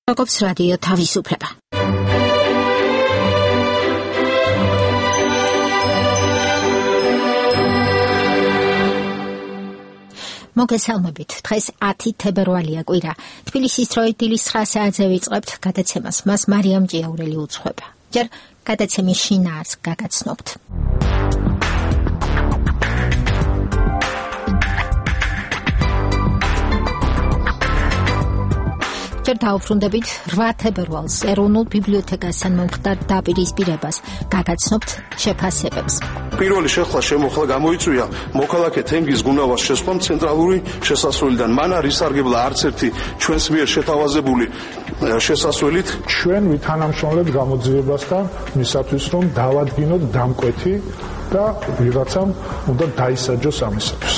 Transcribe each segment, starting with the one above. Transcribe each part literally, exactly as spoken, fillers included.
Როგორც რადიო თავისუფლება. მოგესალმებით. დღეს ათი თებერვალია კვირა. თბილისის დროით დილის ცხრა საათზე ვიწყებთ გადაცემას. მას მარიამ ჭიაურელი უძღვება. ჯერ გადაცემის შინაარსს გაგაცნობთ. ჯერ დავუბრუნდებით რვა თებერვალს ეროვნულ ბიბლიოთეკასთან მომხდარ დაპირისპირებას გაგაცნობთ შეფასებებს. პირველი შეხლა შემოხლა გამოიწვია მოქალაქე თენგიზ გუნავას შესვლამ ცენტრალური შესასვლელიდან. მან არ ისარგებლა არც ერთი ჩვენს მიერ შეთავაზებული შესასვლელით. ჩვენ ვითანამშრომლებთ გამოძიებასთან მისათვის რომ დავადგინოთ დამკვეთი და ვიღაცამ უნდა დაისაჯოს ამისათვის.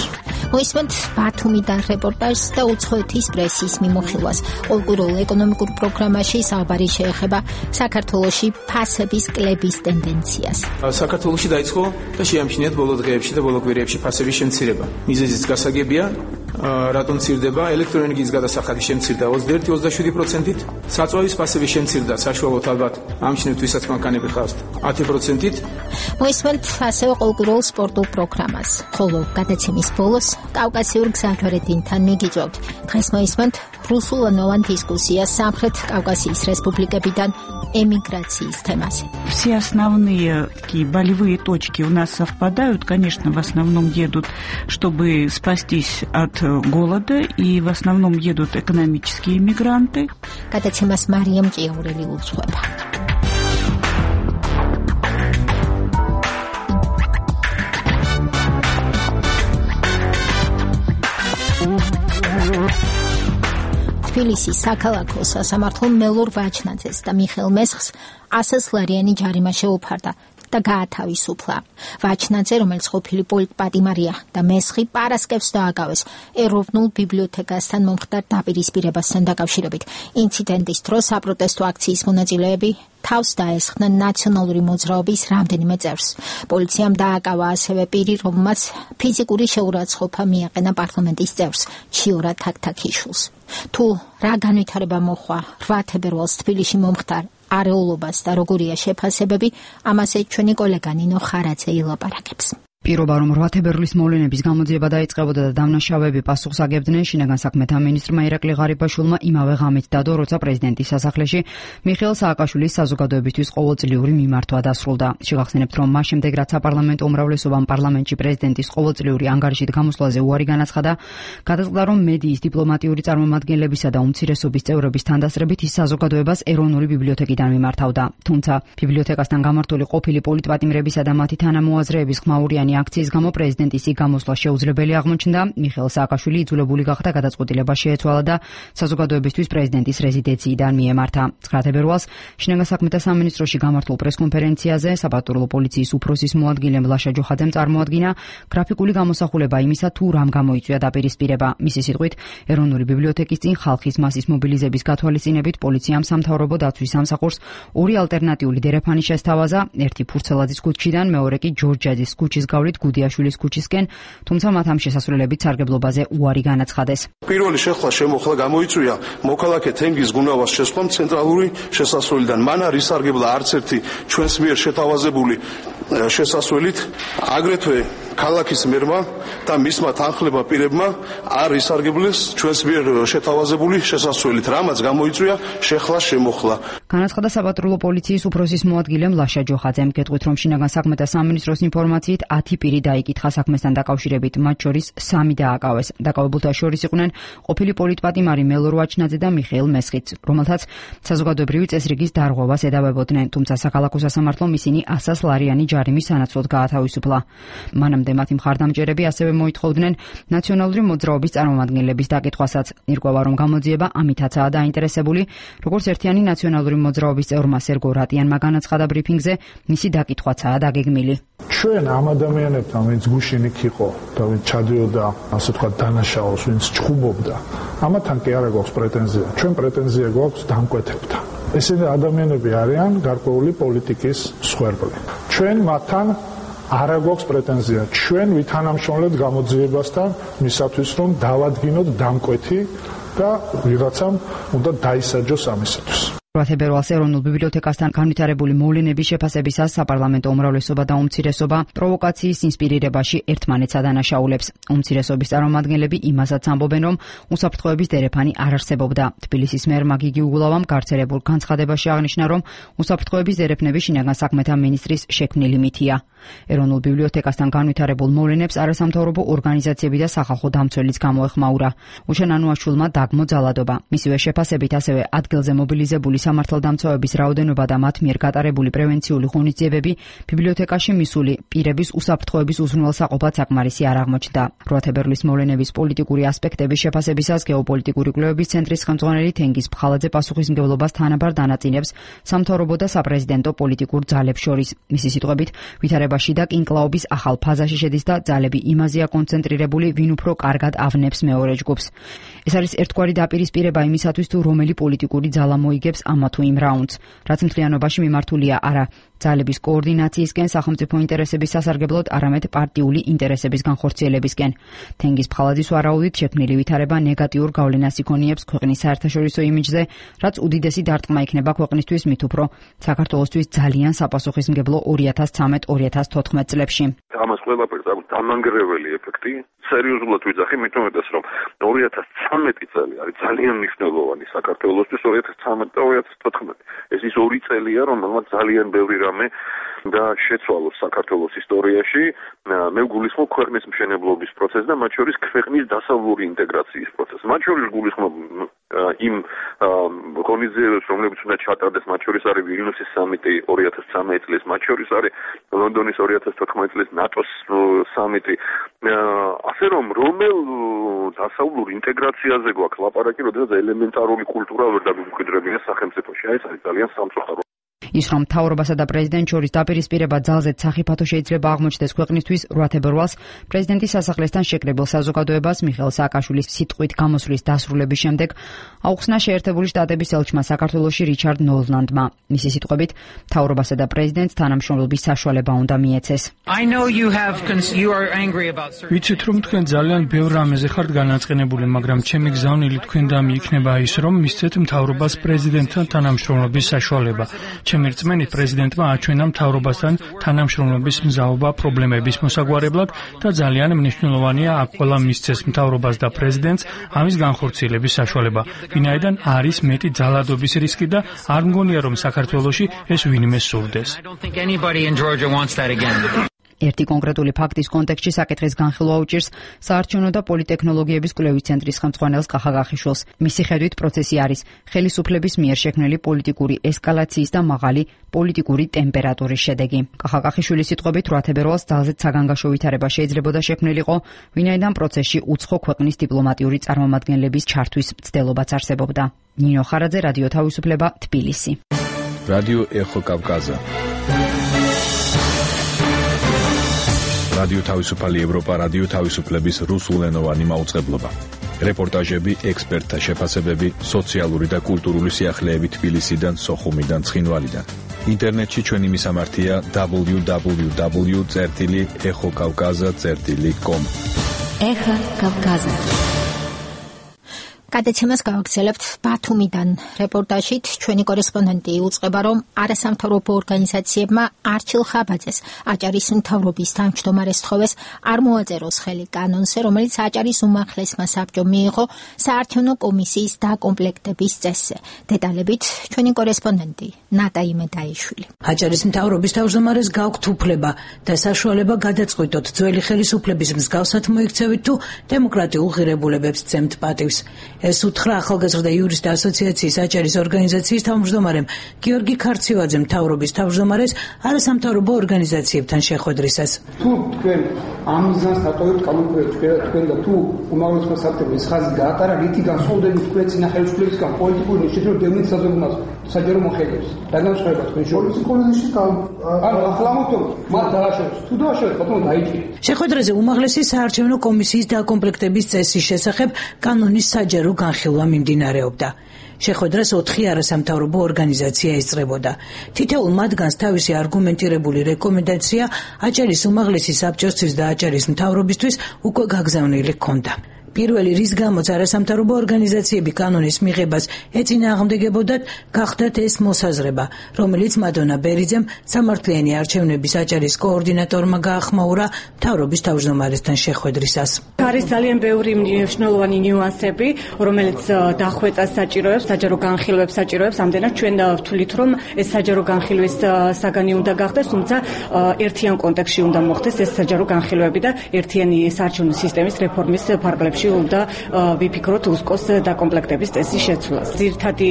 მოისმენთ ბათუმიდან რეპორტაჟს და უცხოეთის პრესის მიმოხილვას. ყოველკვირეულ ეკონომიკურ პროგრამაში საუბარი შეეხება საქართველოში ფასების კლების ტენდენციას. საქართველოში დაიწყო და შეამჩნიათ ბოლო დღეებში და ბოლო კვირეებში ფასების შემცირება. მიზეზიც გასაგებია, რატომ მცირდება? ელექტროენერგიის გადასახადის შემცირდა ოცდაერთი ოცდაშვიდი პროცენტით, საწვავის ფასების შემცირდა საშუალოდ ალბათ ამჩნევთ ვისაც მანქანები ხართ ათი პროცენტით. მოისმენთ ასევე ყოველკვირეულ სპორტულ პროგრამას. ხოლო გადაცემის ბოლოს კავკასიურ გზაჯვარედინთან მიგიწვევთ. დღეს მოისმენთ русуланოვან дискуссия სამხრეთ კავკასიის республикებიდან эмиграции темасе. Все основные такие болевые точки у нас совпадают. Конечно, в основном едут, чтобы спастись от голода, и в основном едут экономические мигранты. Გადაცემას მარიამ ჭიაურელი უძღვება. თბილისის საქალაქო სასამართლომ მელორ ვაჩნაძეს და მიხეილ მესხს ასასლარიანი ჯარიმა შეუფარდა და გაათავისუფლა. ვაჩნაძე, რომელიც ყოფილი პოლიტპატიმარია და მესხი პარასკევს დააგავეს ეროვნულ ბიბლიოთეკასთან მომხდარ დაპირისპირებასთან დაკავშირებით. ინციდენტის დროს საპროტესტო აქციის მონაწილეები თავს დაესხნენ ნაციონალური მოძრაობის რამდენიმე წევრს. პოლიციამ დააკავა ასევე პირი, რომელმაც ფიზიკური შეურაცხყოფა მიაყენა პარლამენტის წევრს ჩიორა თაქთაქიშვილს. თუ რა განვითარება მოხდა რვა თებერვალს თბილისში მომხდარ არეულობას და როგორია შეფასებები, ამაზე ჩვენი კოლეგა ნინო ხარაძე ილაპარაკებს. პირობა რომ რვა თებერვლის მოვლენების გამოძიება დაიწყებოდა და დამნაშავეები პასუხს აგებდნენ, შინაგან საქმეთა მინისტრმა ირაკლი ღარიბაშვილმა იმავე ღამით დადო, როცა პრეზიდენტის სასახლეში მიხეილ სააკაშვილის საზოგადოებისთვის ყოველწლიური მიმართვა დასრულდა. შეგახსენებთ, რომ მას შემდეგ რაც საპარლამენტო უმრავლესობამ პარლამენტში პრეზიდენტის ყოველწლიური ანგარიშით გამოსვლაზე უარი განაცხადა, გადაწყდა, რომ მედიის დიპლომატიური წარმომადგენლებისა და უმცირესობის წევრების თანდასწრებით ის საზოგადოებას ეროვნული ბიბლიოთეკიდან მიმართავდა. თუმცა ბიბლიოთეკასთან გამართული ყოფილი პოლიტპატიმრებისა და მათი თანამოაზრეების ხმაურიანი აქციის გამო პრეზიდენტის იქ გამოსვლა შეუძლებელი აღმოჩნდა. მიხეილ სააკაშვილი იძულებული გახდა გადაწყვეტილება შეეცვალა და საზოგადოებისთვის პრეზიდენტის რეზიდენციიდან მიემართა. ცხრა თებერვალს შინაგან საქმეთა სამინისტროში გამართულ პრესკონფერენციაზე საპატრულო პოლიციის უფროსის მოადგილემ ლაშა ჯოხაძემ წარმოადგინა გრაფიკული გამოსახულება იმისა, თუ რამ გამოიწვია დაპირისპირება. მისი სიტყვით, ეროვნული ბიბლიოთეკის წინ ხალხის მასის მობილიზების გათვალისწინებით პოლიციამ სამთავრობო დაცვის სამსახურს ორი ალტერნატიული დერეფანი შესთავაზა, ერთი ფურცელაძის ქუჩიდან, მეორე კი ჯორჯაძის ქუჩის გუდიაშვილის ქუჩისკენ, თუმცა მათ ამ შესასვლელებით სარგებლობაზე უარი განაცხადეს. პირველი შეხლა შემოხლა გამოიწვია მოქალაქე თენგიზ გუნავას შესვლამ ცენტრალური შესასვლელიდან. მან არ ისარგებლა არც ერთი ჩვენს მიერ შეთავაზებული შესასვლელით, აგრეთვე ქალაქის მერმა და მისმა თანხლება პირებმა არ ისარგებლეს ჩვენს მიერ შეთავაზებული შესასვლელით, რამაც გამოიწვია შეხლა შემოხლა. განაცხადა საპატრულო პოლიციის უფროსის მოადგილემ ლაშა ჯოხაძემ. გეტყვით, რომ შინაგან საქმეთა სამინისტროს ინფორმაციით ათი პირი დაიკითხა საქმესთან დაკავშირებით, მათ შორის სამი დააკავეს. დაკავებულთა შორის იყვნენ ყოფილი პოლიტპატიმარი მელორ ვაჩნაძე და მიხეილ მესხიც, რომელთაც საზოგადოებრივი წესრიგის დარღვევას ედავებოდნენ, თუმცა საქალაქო სასამართლომ ისინი ასასლარიანი ჯარიმის სანაცვლოდ გაათავისუფლა. მანამდე მათი მხარდამჭერები ასევე მოითხოვდნენ ნაციონალური მოძრაობის წარმომადგენლების დაკითხვასაც. ირკვევა, რომ გამოძიება ამითაცაა დაინტერესებული, როგორც ერთიანი ნაციონალური მოძრაობის წევრმა სერგო რატიანმა განაცხადა ბრიფინგზე, მისი დაკითხვაცაა დაგეგმილი. ჩვენ ამ ადამიანებთან, ვინც გუშინ იქ იყო და ვინც ჩადიოდა, ასე ვთქვათ, დანაშაულს, ვინც ჩხუბობდა, ამათან კი არ გვაქვს პრეტენზია. ჩვენ პრეტენზია გვაქვს დამკვეთებთან. ესენი ადამიანები არიან გარკვეული პოლიტიკის მსხვერპლი. ჩვენ მათთან არ გვაქვს პრეტენზია. ჩვენ ვითანამშრომლებთ გამოძიებასთან მისათვის, რომ დავადგინოთ დამკვეთი და ვიღაცამ უნდა დაისაჯოს ამისათვის. როათებერვალს ეროვნულ ბიბლიოთეკასთან განვითარებული მოვლენების შეფასებისას საპარლამენტო უმრავლესობა და უმცირესობა პროვოკაციის ინსპირირებაში ერთმანეთს ადანაშაულებს. უმცირესობის წარმომადგენლები იმასაც ამბობენ, რომ უსაფრთხოების დერეფანი არ არსებობდა. თბილისის მერმა გიგი უგულავამ გავრცელებულ განცხადებაში აღნიშნა, რომ უსაფრთხოების დერეფნები შინაგან საქმეთა მინისტრის შექმნილი მითია. ეროვნულ ბიბლიოთეკასთან განვითარებულ მოვლენებს არასამთავრობო ორგანიზაციები და სახალხო დამცველიც გამოეხმაურა. უშენანუაშვილმა დაგმო ძალადობა. მისივე შეფასებით ასევე ადგილზე მობილიზებული სამართალდამცავების რაოდენობა და მათ მიერ გატარებული პრევენციული ღონისძიებები ბიბლიოთეკაში მისული პირების უსაფრთხოების უზრუნველსაყოფად საკმარისი არ აღმოჩნდა. როათებერვლის მოვლენების პოლიტიკური ასპექტების შეფასებისას გეოპოლიტიკური კვლევების ცენტრის ხელმძღვანელი თენგიზ ფხალაძე პასუხისმგებლობას თანაბარ დანაწილებს სამთავრობო და საპრეზიდენტო პოლიტიკურ ძალებს შორის. მისი სიტყვებით, ვითარებაში და კინკლაობის ახალ ფაზაში შედის და ძალები იმაზეა კონცენტრირებული, ვინ უფრო კარგად ავნებს მეორე ჯგუფს. ეს არის ერთგვარი დაპირისპირება იმისათვის, თუ რომელი პოლიტიკური ძალა მოიგებს ამა თუ იმ რაუნდს, რაც მთლიანობაში მიმართულია არა ძალების კოორდინაციისკენ სახელმწიფო ინტერესების სასარგებლოდ, არამედ პარტიული ინტერესების განხორციელებისკენ. თენგიზ ფხალაძის ვარაუდით შექმნილი ვითარება ნეგატიურ გავლენას იქონიებს ქვეყნის საერთაშორისო იმიჯზე, რაც უდიდესი დარტყმა იქნება ქვეყნისთვის, მით უფრო საქართველოსთვის ძალიან საპასუხისმგებლო ორი ათას ცხრამეტ ორი ათას თოთხმეტ წლებში. ამას ყველაფერს აქვს დამანგრეველი ეფექტი. სერიოზულად ვიძახი, მით უმეტეს, რომ ორი ათას ცხრამეტი წელი არის ძალიან მნიშვნელოვანი საქართველოსთვის, ორი ათას ცხრამეტი და ორი ათას თოთხმეტი. ეს ის ორი წელია, რომელმაც ძალიან ბევრი რამე და შეცვალოს საქართველოს ისტორიაში. მე ვგულისხმობ ქვეყნის მშენებლობის პროცესს და მათ შორის ქვეყნის დასავლური ინტეგრაციის პროცესს. მათ შორის ვგულისხმობ იმ ღონისძიებებს, რომლებიც უნდა ჩატარდეს, მათ შორის არის ვილნიუსის სამიტი ორი ათას ცხრამეტი წლის, მათ შორის არის ლონდონის ორი ათას თოთხმეტი წლის ნატოს სამიტი. ასე რომ რომელ დასავლურ ინტეგრაციაზე გვაქვს ლაპარაკი, როდესაც ელემენტარული კულტურა ვერ დამიმკვიდრებია სახელმწიფოში. აი ეს არის ძალიან სამწუხარო. ის რომ მთავრობასა და პრეზიდენტ შორის დაპირისპირება ძალზედ სახიფათო შეიძლება აღმოჩნდეს ქვეყნისთვის, როათებერვალს პრეზიდენტის სასახლესთან შეკრებილ საზოგადოებას მიხეილ სააკაშვილის სიტყვით გამოსვლის დასრულების შემდეგ აუხსნა შეერთებული შტატების ელჩმა საქართველოში რიჩარდ ნოლანდმა. მისი სიტყვებით, მთავრობასა და პრეზიდენტს თანამშრომლობის საშუალება უნდა მიეცეს. ვიცით, რომ თქვენ ძალიან ბევრ რამეზე ხართ განაწყენებული, მაგრამ ჩემი გზავნილი თქვენდამი იქნება ის, რომ მისცეთ მთავრობას პრეზიდენტთან თანამშრომლობის საშუალება. ჩემი რწმენით პრეზიდენტმა აჩვენა მთავრობასთან თანამშრომლობის მზაობა პრობლემების მოსაგვარებლად და ძალიან მნიშვნელოვანია აქ ყველა მისცეს მთავრობას და პრეზიდენტს ამის განხორციელების საშუალება. ვინაიდან არის მეტი ძალადობის რისკი და არ მგონია რომ საქართველოში ეს ვინმე სურდეს. ერთი კონკრეტული ფაქტის კონტექსტში საკითხის განხილვა უჭირს საარჩევნო და პოლიტექნოლოგიების კვლევის ცენტრის ხელმძღვანელს კახაგახიშვილს. მისი ხედვით პროცესი არის ხელისუფლების მიერ შექმნილი პოლიტიკური ესკალაციის და მაღალი პოლიტიკური ტემპერატურის შედეგი. კახაგახიშვილის სიტყვებით, როათებერვალს ძალზედ საგანგაშო ვითარება შეიძლებოდა შექმნილიყო, ვინაიდან პროცესში უცხო ქვეყნის დიპლომატიური წარმომადგენლების ჩართვის მცდელობაც არსებობდა. ნინო ხარაძე, რადიო თავისუფლება, თბილისი. რადიო ეხო კავკაზა. რადიო თავისუფალი ევროპა, რადიო თავისუფლების რუსულენოვანი მაუწყებლობა. რეპორტაჟები, ექსპერტთა შეფასებები, სოციალური და კულტურული სიახლეები თბილისიდან, სოხუმიდან, ცხინვალიდან. ინტერნეტში ჩვენი მისამართია დაბლიუ დაბლიუ დაბლიუ წერტილი ეხო კავკაზა წერტილი კომ. ეხა კავკაზა. გადაცემას გავაგრძელებთ ბათუმიდან. რეპორტაჟით ჩვენი კორესპონდენტი იუწყება, რომ არასამთავრობო ორგანიზაციებმა არჩილ ხაბაძეს, აჭარის მთავრობის თავმჯდომარეს თხოვეს არ მოაწეროს ხელი კანონზე, რომელიც აჭარის უმაღლესმა საბჭომ მიიღო საარჩევნო კომისიის დაკომპლექტების წესზე. დეტალებით ჩვენი კორესპონდენტი ნატა იმედაიშვილი. აჭარის მთავრობის თავმჯდომარეს გაქვთ უფლება და საშუალება გადაწყვიტოთ ძველი ხელისუფლების მსგავსად მოიქცევით თუ დემოკრატიულ ღირებულებებს ძემთ პატივს. ეს უთხრა ახალგაზრდა იურისტთა ასოციაციის აჭარის ორგანიზაციის თავმჯდომარემ გიორგი ქარციევაძემ მთავრობის თავმჯდომარეს არასამთავრობო ორგანიზაციებთან შეხვედრისას. თუ თქვენ ამ მიზანს დატოვებთ კანონპროექტს თქვენ და თუ უმაღლესმა საბჭომ ეს ხაზი გაატარა, რითი განსხვავდებით თქვენ წინა ხელისუფლებისგან პოლიტიკური ნიშნით რომ დევნილ საზოგადოებას საჯარო მოხელებს. და განსხვავება თქვენ შორის პოლიტიკური ანუ ახლა მოთხოვ მათ დააშოროს. თუ დააშოროს, ბატონო დაიჭირე. შეხვედრაზე უმაღლესი საარჩევნო კომისიის დაკომპლექტების წესის შესახებ კანონის საჯარო განხილვა მიმდინარეობდა. შეხვედრას ოთხი არასამთავრობო ორგანიზაცია ესწრებოდა. თითოეულ მათგანს თავისი არგუმენტირებული რეკომენდაცია აჭარის უმაღლესი საბჭოსთვის და აჭარის მთავრობისთვის უკვე გაგზავნილი ჰქონდა. პირველი რის გამოც არასამთავრობო ორგანიზაციები კანონის მიღებას ეწინააღმდეგებოდათ, გახდათ ეს მოსაზრება, რომელიც მადონა ბერიძემ სამართლიანი არჩევნების აჭარის კოორდინატორმა გაახმაურა მთავრობის თავმჯდომარესთან შეხვედრისას. არის ძალიან ბევრი მნიშვნელოვანი ნიუანსები, რომელიც დახვეწას საჭიროებს, საჯარო განხილვებს საჭიროებს, ამდენად ჩვენ ვთვლით, რომ ეს საჯარო განხილვის საგანი უნდა გახდეს, თუმცა ერთიან კონტექსტში უნდა მოხდეს ეს საჯარო განხილვები და ერთიანი საარჩევნო სისტემის რეფორმის ფარგლებში უნდა ვიფიქროთ უსკოს დაკომპლექტების წესის შეცვლას. ძირითადი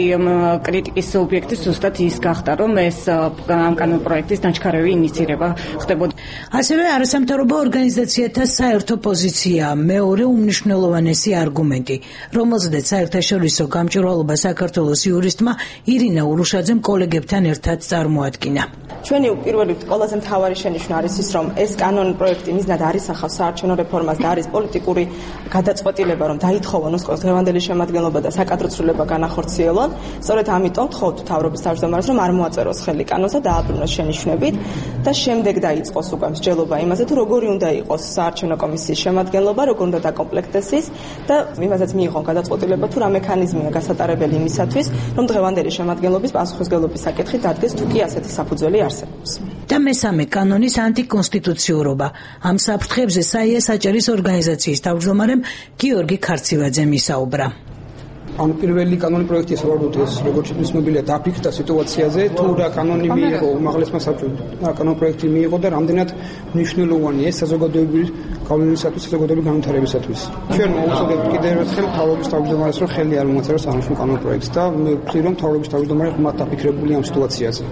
კრიტიკის ობიექტი ზუსტად ის გახდა, რომ ეს ამ კანონპროექტის დაჩქარევი ინიციირება ხდებოდა. ასევე არასამთავრობო ორგანიზაციათა საერთო პოზიცია მეორე უმნიშვნელოვანესი არგუმენტი, რომელზედაც საერთაშორისო გამჭვირვალობა საქართველოს იურისტმა ირინა ურუშაძემ კოლეგებთან ერთად წარმოადგინა. ჩვენი პირველი ყველაზე მთავარი შენიშვნა არის ის, რომ ეს კანონპროექტი მიზნად არის ახავს საარჩევნო რეფორმას და არის პოლიტიკური გადაწყვეტილება, რომ დაითხოვონ უსკოს დღევანდელი შემადგენლობა და საკადრო ცვლილება განახორციელონ. სწორედ ამიტომ ვთხოვთ მთავრობის თავმჯდომარეს, რომ არ მოაწეროს ხელი კანონს და დააბრუნოს შენიშვნებით და შემდეგ დაიწყოს უკვე მსჯელობა იმაზე, თუ როგორი უნდა იყოს საარჩევნო კომისიის შემადგენლობა, როგორ უნდა დაკომპლექტდეს ის და იმასაც მიიღონ გადაწყვეტილება, თუ რა მექანიზმია გასატარებელი იმისათვის, რომ დღევანდელი შემადგენლობის პასუხისმგებლობის საკითხი დადგეს, თუ კი ასეთი საფუძველი არსებობს. და მესამე კანონის ანტიკონსტიტუციურობა. ამ საფრთხებზე საიას აჭარის ორგანიზაციის თავმჯდომარემ გიორგი ქარცივაძემ ისაუბრა. ან პირველი კანონი პროექტი საბოლოოდ ეს როგორც ცნობილია დაფიქრდა სიტუაციაზე, თუ რა კანონი მიიღო უმაღლესმა საბჭომ, რა კანონპროექტი მიიღო და რამდენად მნიშვნელოვანია ეს საზოგადოებრივი გავლენისათვის, საზოგადოებრივი განვითარებისათვის. ჩვენ მოვუწოდებთ კიდევ ერთხელ მთავრობის თავმჯდომარეს, რომ ხელი არ მოაწეროს აღნიშნულ კანონპროექტს და მე ვთვლი, რომ მთავრობის თავმჯდომარე ღრმად დაფიქრებულია ამ სიტუაციაზე.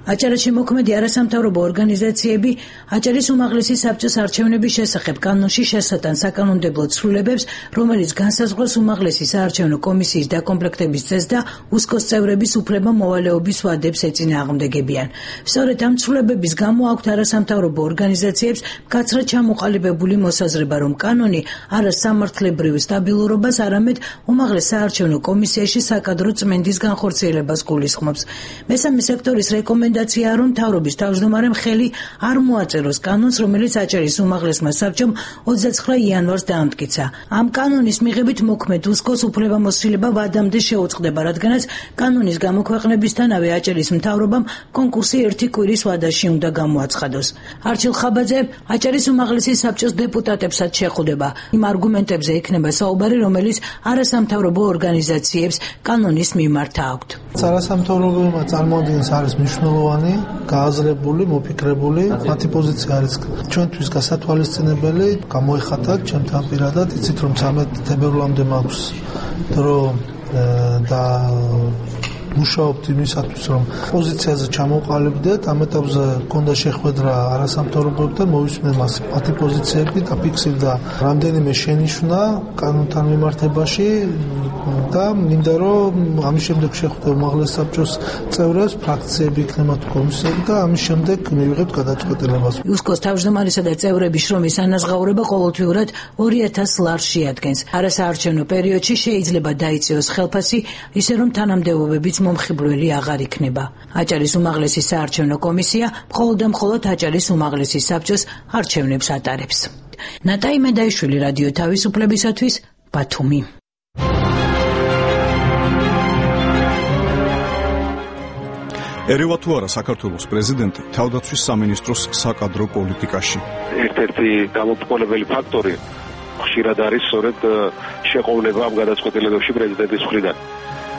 აჭარაში მოქმედი არასამთავრობო ორგანიზაციები აჭარის უმაღლესი საბჭოს არჩევნების შესახებ კანონში შესატან საკანონმდებლო ცვლილებებს, რომელიც განსაზღვროს უმაღლესი საარჩევნო კომისიის დაკომპლექტების წესს და უსკოს წევრების უფლება მოვალეობის ვადებს ეწინააღმდეგებიან. სწორედ ამ ცვლილებების გამო აქვთ არასამთავრობო ორგანიზაციებს მკაცრად ჩამოყალიბებული მოსაზრება, რომ კანონი არა სამართლებრივ სტაბილურობას, არამედ უმაღლეს საარჩევნო კომისიაში საკადრო წმენდის განხორციელებას გულისხმობს. მესამე სექტორის რეკომენდაცია რეკომენდაცია, რომ მთავრობის თავმჯდომარემ ხელი არ მოაწეროს კანონს, რომელიც აჭარის უმაღლესმა საბჭომ ოცდაცხრა იანვარს დაამტკიცა. ამ კანონის მიღებით მოქმედ უსკოს უფლებამოსილება ვადამდე შეუწყდება, რადგანაც კანონის გამოქვეყნებისთანავე აჭარის მთავრობამ კონკურსი ერთი კვირის ვადაში უნდა გამოაცხადოს. არჩილ ხაბაძე აჭარის უმაღლესი საბჭოს დეპუტატებსაც შეხვდება. იმ არგუმენტებზე იქნება საუბარი, რომელიც არასამთავრობო ორგანიზაციებს კანონის მიმართ აქვთ. არასამთავრობოებმა წარმოადგენს არის მნიშვნელოვანი, გააზრებული, მოფიქრებული, მათი პოზიცია არის ჩვენთვის გასათვალისწინებელი, გამოიხატა ჩემთან პირადად, იცით რომ ცამეტ თებერვლამდე მაქვს დრო და მუშაობთ იმისათვის, რომ პოზიციაზე ჩამოყალიბდეთ, ამ ეტაპზე მქონდა შეხვედრა არასამთავრობოებთან, მოვისმენ მას მათი პოზიციები და ფიქსირდა რამდენიმე შენიშვნა კანონთან მიმართებაში და მინდა რომ ამის შემდეგ შეხვდე უმაღლეს საბჭოს წევრებს, ფრაქციები იქნება თუ კომისიები და ამის შემდეგ მივიღებთ გადაწყვეტილებას. უსკოს თავმჯდომარისა და წევრების შრომის ანაზღაურება ყოველთვიურად ორი ათას ლარს შეადგენს. არასაარჩევნო პერიოდში შეიძლება დაიწიოს ხელფასი, ისე რომ თანამდებობებიც მომხიბვლელი აღარ იქნება. აჭარის უმაღლესი საარჩევნო კომისია მხოლოდ და მხოლოდ აჭარის უმაღლესი საბჭოს არჩევნებს ატარებს. ნატაი მედაიშვილი, რადიო თავისუფლებისათვის, ბათუმი. ერევა თუ არა საქართველოს პრეზიდენტი თავდაცვის სამინისტროს საკადრო პოლიტიკაში. ერთ-ერთი გამომწყვეტებელი ფაქტორი ხშირად არის სწორედ შეყოვნება ამ გადაწყვეტილებებში პრეზიდენტის მხრიდან.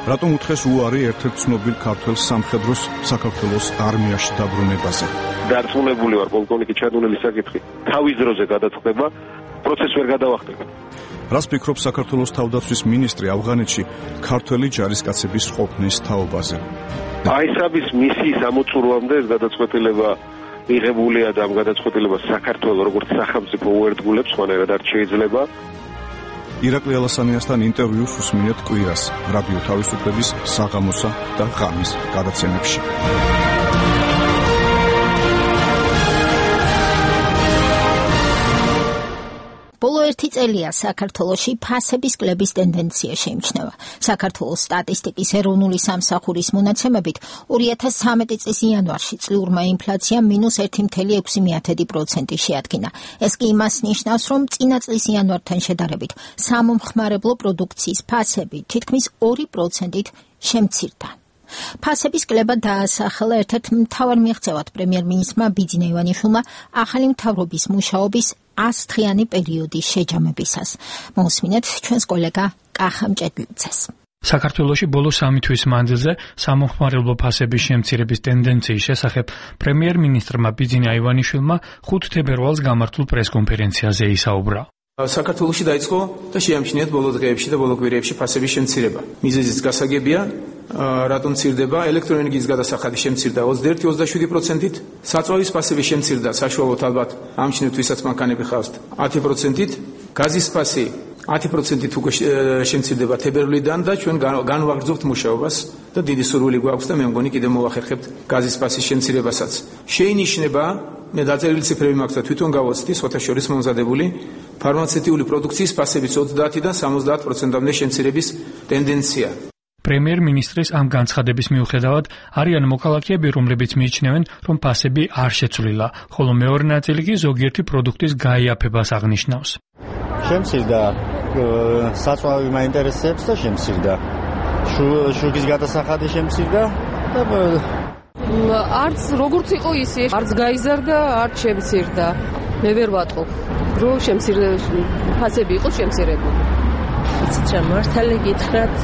რატომ უთხეს უარი ერთ-ერთ ცნობილ ქართველ სამხედროს საქართველოს არმიაში დაბრუნებაზე? დარწმუნებული ვარ, პოლკოვნიკი ჩადუნელის საკითხი თავის დროზე გადაწყდება, პროცესს ვერ გადავახტება. რას ფიქრობს საქართველოს თავდაცვის მინისტრი ავღანეთში ქართველი ჯარისკაცების ყოფნის თაობაზე? აისაბის მისიის ამოწურვამდე ეს გადაწყვეტილება მიღებულია და ამ გადაწყვეტილებას საქართველოს როგორც სახელმწიფო უერთგულებს, ხანერად არ შეიძლება. ირაკლი ალასანიასთან ინტერვიუს უსმინეთ კვირას რადიო თავისუფლების საღამოსა და ღამის გადაცემებში. ბოლო ერთი წელია საქართველოში ფასების კლების ტენდენცია შეიმჩნევა. საქართველოს სტატისტიკის ეროვნული სამსახურის მონაცემებით ორი ათას ცხრამეტი წლის იანვარში წლიურმა ინფლაციამ მინუს ერთი კoma ექვსი პროცენტი შეადგინა. ეს კი იმას ნიშნავს, რომ წინა წლის იანვართან შედარებით სამომხმარებლო პროდუქციის ფასები თითქმის ორი პროცენტით შემცირდა. ფასების კლება დაასახელა ერთ-ერთ მთავარ მიღწევად პრემიერ-მინისტრმა ბიძინა ივანიშვილმა ახალი მთავრობის მუშაობის ასდღიანი პერიოდის შეჯამებისას. მოусმინეთ ჩვენს კოლეგა კახა მჭედლიძეს. საქართველოში ბოლო სამი თვის მანძილზე სამომხმარებლო ფასების შემცირების ტენდენციის შესახებ პრემიერ-მინისტრმა ბიძინა ივანიშვილმა ხუთ თებერვალს გამართულ პრესკონფერენციაზე ისაუბრა. საქართველოში დაიწყო და შეამჩნიათ ბოლო დღეებში და ბოლო კვირეებში ფასების შემცირება. მიზეზიც გასაგებია, რატომ მცირდება? ელექტროენერგიის გადასახადი შემცირდა ოცდაერთი ოცდაშვიდი პროცენტით, საწვავის ფასები შემცირდა საშუალოდ ალბათ ამჩნევთ ვისაც მანქანები ხავთ ათი პროცენტით, გაზის ფასი ათი პროცენტით უკვე შემცირდება თებერვლიდან და ჩვენ განვაგრძობთ მუშაობას და დიდი სურვილი გვაქვს და მე მგონი კიდევ მოვახერხებთ გაზის ფასის შემცირებასაც. შეინიშნება მე დაწერილი ციფრები მაქვს და თვითონ გავოცდი სხვათა შორის მომზადებული ფარმაცევტიული პროდუქციის ფასების ოცდაათიდან სამოცდაათ პროცენტამდე შემცირების ტენდენცია. პრემიერ-მინისტრის ამ განცხადების მიუხედავად არიან მოქალაქეები, რომლებიც მიიჩნევენ, რომ ფასები არ შეცვლილა, ხოლო მეორე ნაწილი კი ზოგიერთი პროდუქტის გაიაფებას აღნიშნავს. შემცირდა საწვავი მაინტერესებს და შემცირდა. შუქის გადასახადი შემცირდა და არც როგორც იყო ისე, არც გაიზარდა, არც შემცირდა. მე ვერ ვატყობ, რომ შემცირდა ფასები იყოს შემცირებული. იცით რა, მართალი გითხრათ,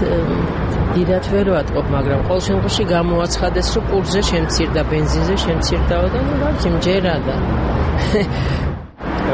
დიდათ ვერ ვატყობ, მაგრამ ყოველ შემთხვევაში გამოაცხადეს, რომ პურზე შემცირდა, ბენზინზე შემცირდაო და ნუ რა მჯერა და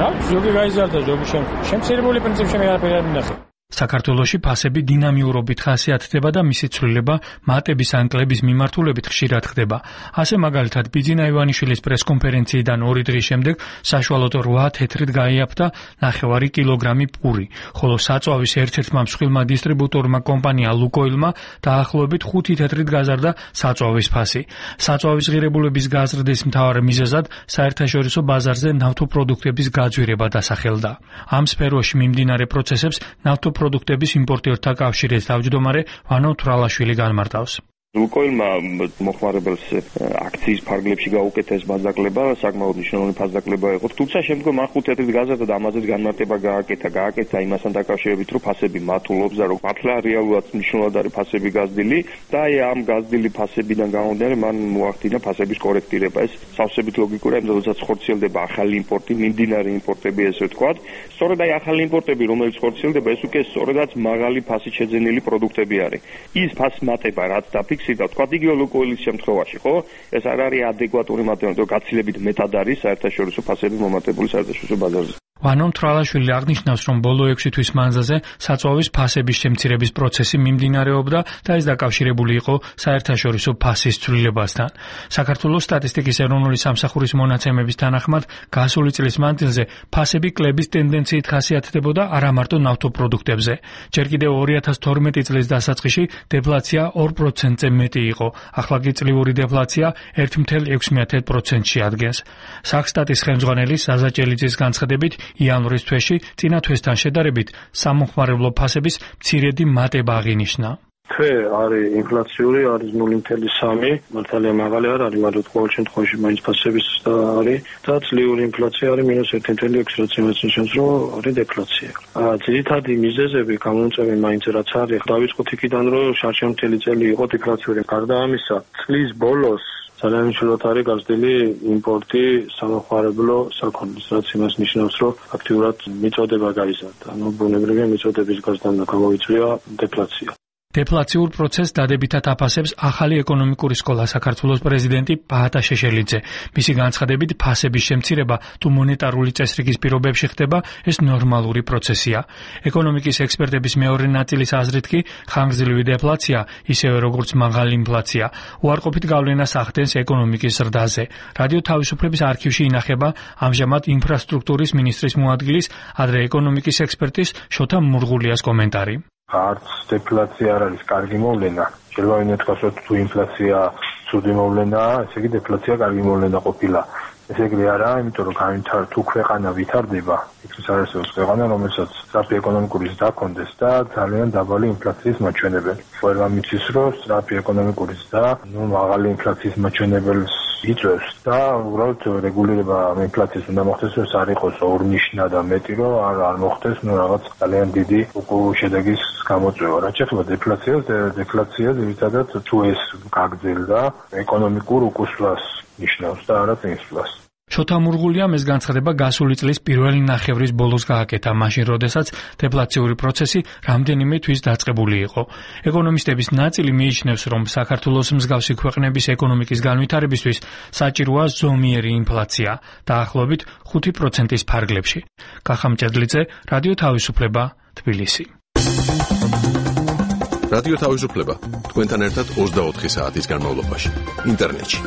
რა ზოგი გაიზარდა, ზოგი შემცირებული პრინციპში მე არაფერი არ მინახე. საქართველოში ფასები დინამიურობით ხასიათდება და მისი ცვლილება მატების ან კლების მიმართულებით ხშირად ხდება. ასე მაგალითად ბიძინა ივანიშვილის პრესკონფერენციიდან ორი დღის შემდეგ საშუალოდ რვა თეთრით გაიაფთა ნახევარი კილოგრამი პური, ხოლო საწვავის ერთ-ერთმა მსხვილმა დისტრიბუტორმა კომპანია ლუკოილმა დაახლოებით ხუთი თეთრით გაზარდა საწვავის ფასი. საწვავის ღირებულების გაზრდის მთავარ მიზეზად საერთაშორისო ბაზარზე ნავთობპროდუქტების გაძვირება დასახელდა. ამ სფეროში მიმდინარე პროცესებს ნავთობ პროდუქტების იმპორტიორთა კავშირის თავმჯდომარე ვანო თვრალაშვილი განმარტავს. ლუკოილმა მოხმარებელს აქციის ფარგლებში გაუკეთეს ბაზაკლება, საკმაოდ მნიშვნელოვანი ბაზაკლება იყო. თუმცა შემდგომ ახ ხუთ თეთრით გაზარდა და ამაზეც განმარტება გააკეთა, გააკეთა იმასთან დაკავშირებით, რომ ფასები მათულობს და რომ მართლა რეალურად მნიშვნელოვნად არის ფასები გაზრდილი და აი ამ გაზრდილი ფასებიდან გამომდინარე მან მოახდინა ფასების კორექტირება. ეს სავსებით ლოგიკურია, იმიტომ რომ როდესაც ხორციელდება ახალი იმპორტი, მიმდინარე იმპორტები ესე ვთქვათ, სწორედ აი ახალი იმპორტები, რომელიც ხორციელდება, ეს უკვე სწორედაც მაღალი ფასით შეძენილი პროდუქტები არის. ის ფას მატება, რაც დაფიქსირდა და თქვა იგივე ლუკოილის შემთხვევაში, ხო? ეს არ არის ადეკვატური მატება, რომ გაცილებით მეტად არის საერთაშორისო ფასები მომატებული საერთაშორისო ბაზარზე. ვანო თვრალაშვილი აღნიშნავს, რომ ბოლო ექვსი თვის მანძილზე საწვავის ფასების შემცირების პროცესი მიმდინარეობდა და ეს დაკავშირებული იყო საერთაშორისო ფასის ცვლილებასთან. საქართველოს სტატისტიკის ეროვნული სამსახურის მონაცემების თანახმად გასული წლის მანძილზე ფასები კლების ტენდენციით ხასიათდებოდა არა მარტო ნავთობპროდუქტებზე. ჯერ კიდევ ორი ათას თორმეტი წლის დასაწყისში დეფლაცია ორ პროცენტზე მეტი იყო, ახლა კი წლიური დეფლაცია ერთი კoma ექვსი პროცენტში ადგენს. სახსტატის ხელმძღვანელი საზა ჭელიძის განცხადებით იანვრის თვეში წინა თვესთან შედარებით სამომხმარებლო ფასების მცირედი მატება აღინიშნა. თვე არის ინფლაციური, არის ნული კoma სამი, მართალია მაღალი არ არის, მაგრამ ყოველ შემთხვევაში მაინც ფასების არის და წლიური ინფლაცია არის მინუს ერთი კoma ექვსი, რაც იმას ნიშნავს, რომ არის დეფლაცია. ძირითადი მიზეზები გამომწვევი მაინც რაც არის, დავიწყოთ იქიდან, რომ შარშემთელი წელი იყო დეფლაციური. გარდა ამისა, წლის ბოლოს ძალიან მნიშვნელოვანი არის გაზრდილი იმპორტი სამომხმარებლო საქონლის, რაც იმას ნიშნავს, რომ აქტიურად მიწოდება გაიზარდა. ანუ ბუნებრივია მიწოდების გაზრდამ გამოიწვია დეფლაცია. დეფლაციურ პროცესს დადებითად აფასებს ახალი ეკონომიკური სკოლა საქართველოს პრეზიდენტი ბაატა შეშელიძე. მისი განცხადებით, ფასების შემცირება თუ მონეტარული წესრიგის პირობებში ხდება, ეს ნორმალური პროცესია. ეკონომიკის ექსპერტების მეორე ნაწილის აზრით კი ხანგრძლივი დეფლაცია, ისევე როგორც მაღალი ინფლაცია, უარყოფით გავლენას ახდენს ეკონომიკის ზრდაზე. რადიო თავისუფლების არქივში ინახება ამჟამად ინფრასტრუქტურის მინისტრის მოადგილის, ადრე ეკონომიკის ექსპერტის შოთა მურღულიას კომენტარი. არც დეფლაცია არ არის კარგი მოვლენა. შეიძლება ვინმე თქვას, რომ თუ ინფლაცია ცუდი მოვლენაა, ესე იგი დეფლაცია კარგი მოვლენა ყოფილა. ესე იგი არა, იმიტომ რომ განვითარ თუ ქვეყანა ვითარდება, ის არის ქვეყანა, რომელსაც სწრაფი ეკონომიკური ზრდა ჰქონდეს და ძალიან დაბალი ინფლაციის მაჩვენებელი. ყველა მიცის, რომ სწრაფი ეკონომიკური ზრდა, ნუ მაღალი ინფლაციის მაჩვენებელს იწვევს და უბრალოდ რეგულირება ინფლაციის უნდა მოხდეს, რომ არ იყოს ორნიშნა და მეტი, რომ არ არ მოხდეს, ნუ რაღაც ძალიან დიდი შედეგის გამოწვევა. რაც შეეხება დეფლაციას, დეფლაცია ძირითადად თუ ეს გაგრძელდა, ეკონომიკურ უკუსლას ნიშნავს და არა წინსვლას. შოთა მურღულიამ ეს განცხადება გასული წლის პირველი ნახევრის ბოლოს გააკეთა, მაშინ როდესაც დეფლაციური პროცესი რამდენიმე თვის დაწყებული იყო. ეკონომისტების ნაწილი მიიჩნევს, რომ საქართველოს მსგავსი ქვეყნების ეკონომიკის განვითარებისთვის საჭიროა ზომიერი ინფლაცია, დაახლოებით ხუთი პროცენტის ფარგლებში. კახამ ჭედლიძე, რადიო თავისუფლება, თბილისი. რადიო თავისუფლება თქვენთან ერთად ოცდაოთხი საათის განმავლობაში ინტერნეტში.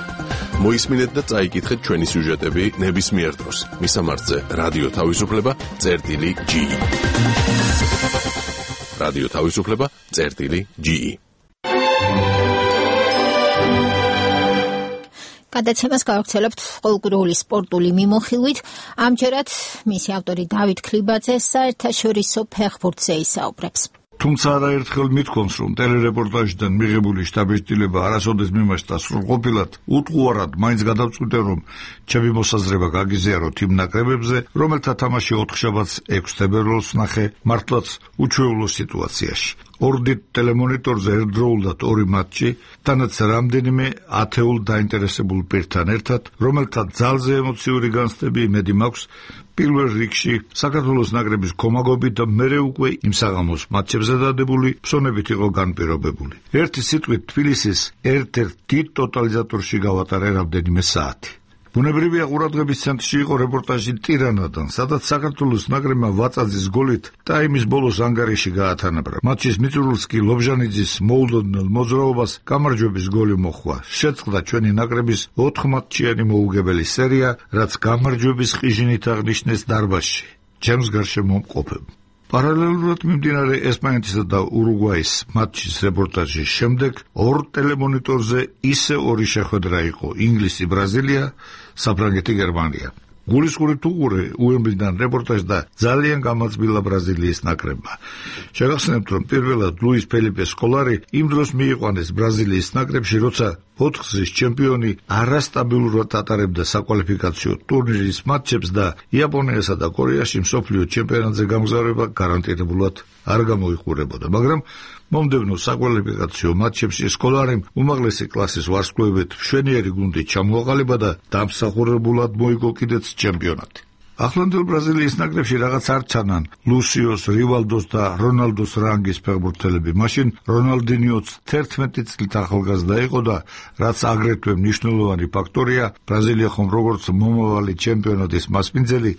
მოისმინეთ და წაიკითხეთ ჩვენი სიუჟეტები ნებისმიერ დროს. მისამართზე რადიო თავისუფლება წერტილი ჯი ი. რადიო თავისუფლება წერტილი ჯი ი. გადაცემას გავაგრძელებთ ყოველკვირეული სპორტული მიმოხილვით. ამჯერად მისი ავტორი დავით ქლიბაძე საერთაშორისო ფეხბურთზე ისაუბრებს. თუმცა არაერთხელ მithქვამს, რომ ტელერეპორტაჟიდან მიღებული შთაბეჭდილება არასოდეს მიმოხდა სრულყოფილად, უტყუარად მაინც გადავწყვიტე, რომ ჩემი მოსაზრება გაგიზიაროთ იმ ნაკრებებზე, რომელთა თამაში ოთხშაბათს ექვს თებერვალს ნახე მართლაც უჩვეულო სიტუაციაში. ორდით ტელემონიტორზე ერთდროულად ორი მატჩი, თანაც რამდენიმე ათეულ დაინტერესებულ პირთან ერთად, რომელთა ძალზე ემოციური განცდები იმედი მაქვს, პირველ რიგში საქართველოს ნაკრების კომაგობით და მერე უკვე იმ საღამოს მატჩებზე დადებული ფსონებით იყო განპირობებული. ერთი სიტყვით თბილისის ერთ-ერთ დიდ ტოტალიზატორში გავატარე რამდენიმე საათი. ბუნებრივია ყურადღების ცენტრში იყო რეპორტაჟი ტირანადან, სადაც საქართველოს ნაკრებმა ვაწაძის გოლით ტაიმის ბოლოს ანგარიში გაათანაბრა. მატჩის მიწურულს კი ლობჟანიძის მოულოდნელ მოძრაობას გამარჯვების გოლი მოჰყვა. შეწყდა ჩვენი ნაკრების ოთხმატჩიანი მოუგებელი სერია, რაც გამარჯვების ყიჟინით აღნიშნეს დარბაზში. ჩემს გარშემო მყოფებ. პარალელურად მიმდინარე ესპანეთისა და ურუგვაის მატჩის რეპორტაჟის შემდეგ ორ ტელემონიტორზე ისე ორი შეხვედრა იყო: ინგლისი, ბრაზილია, საფრანგეთი, გერმანია. გულისხმობით უყურე უემბლიდან რეპორტაჟს და ძალიან გამაძბილა ბრაზილიის ნაკრებმა. შეგახსენებთ, რომ პირველად ლუის ფელიპე სკოლარი იმ დროს მიიყვანეს ბრაზილიის ნაკრებში, როცა ოთხგზის ჩემპიონი არასტაბილურად ატარებდა საკვალიფიკაციო ტურნირის მატჩებს და იაპონიასა და კორეაში მსოფლიო ჩემპიონატზე გამგზავრება გარანტირებულად არ გამოიყურებოდა, მაგრამ მომდევნო საკვალიფიკაციო მატჩებში სკოლარიმ უმაღლესი კლასის ვარსკვლავებით მშვენიერი გუნდით ჩამოაყალიბა და დამსახურებულად მოიგო კიდეც ჩემპიონატი. ახლანდელ ბრაზილიის ნაკრებში რაღაც არ ჩანან ლუსიოს, რივალდოს და რონალდოს რანგის ფეხბურთელები. მაშინ რონალდინიოც თერთმეტი წლით ახალგაზრდა იყო და რაც აგრეთვე მნიშვნელოვანი ფაქტორია, ბრაზილია ხომ როგორც მომავალი ჩემპიონატის მასპინძელი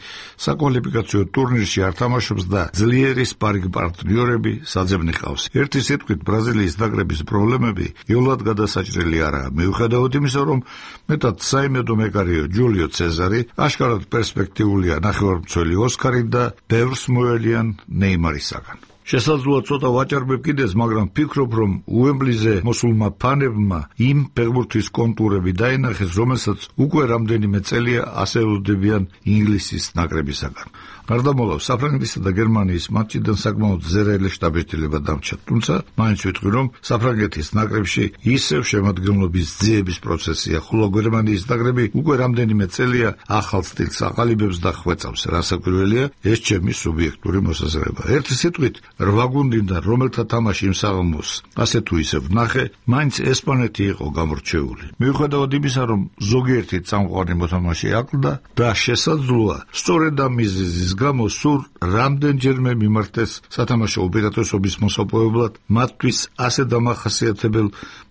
საკვალიფიკაციო ტურნირში არ თამაშობს და ძლიერი სპარინგ პარტნიორები საძებნი ყავს. ერთი სიტყვით ბრაზილიის ნაკრების პრობლემები იოლად გადასაჭრელი არაა. მიუხედავად იმისა, რომ მეტად საიმედო მეკარეო ჯულიო ცეზარი აშკარად პერსპექტიული ნახევარმცველი ოსკარი და ბევრს მოელიან ნეიმარისაგან. შესაძლოა ცოტა ვაჭარბებ კიდეც, მაგრამ ფიქრობ, რომ უემბლიზე მოსულმა ფანებმა იმ ფეხბურთის კონტურები დაინახეს, რომელსაც უკვე რამდენიმე წელია ასეულდებიან ინგლისის ნაკრებისაგან. გარდამავალ საფრანგეთისა და გერმანიის მატჩიდან საკმაოდ ზერაელი შთაბეჭდილება დამჩა, თუმცა მაინც ვიტყვი, რომ საფრანგეთის ნაკრებში ისევ შემადგენლობის ძიების პროცესია, ხოლო გერმანიის ნაკრები უკვე რამდენიმე წელია ახალ სტილს აყალიბებს და ხვეწავს. რასაკვირველია, ეს ჩემი სუბიექტური მოსაზრება. ერთი სიტყვით, რვა გუნდიდან რომელთა თამაში იმ საღამოს ასე თუ ისე ვნახე, მაინც ესპანეთი იყო გამორჩეული. მიუხედავად იმისა, რომ ზოგიერთი წამყვანი მოთამაშე აკლდა და შესაძლოა სწორედ ამ მიზეზის გამო სულ რამდენჯერმე მიმართეს სათამაშო ოპერატორობის მოსაპოვებლად მათთვის ასე დამახასიათებელ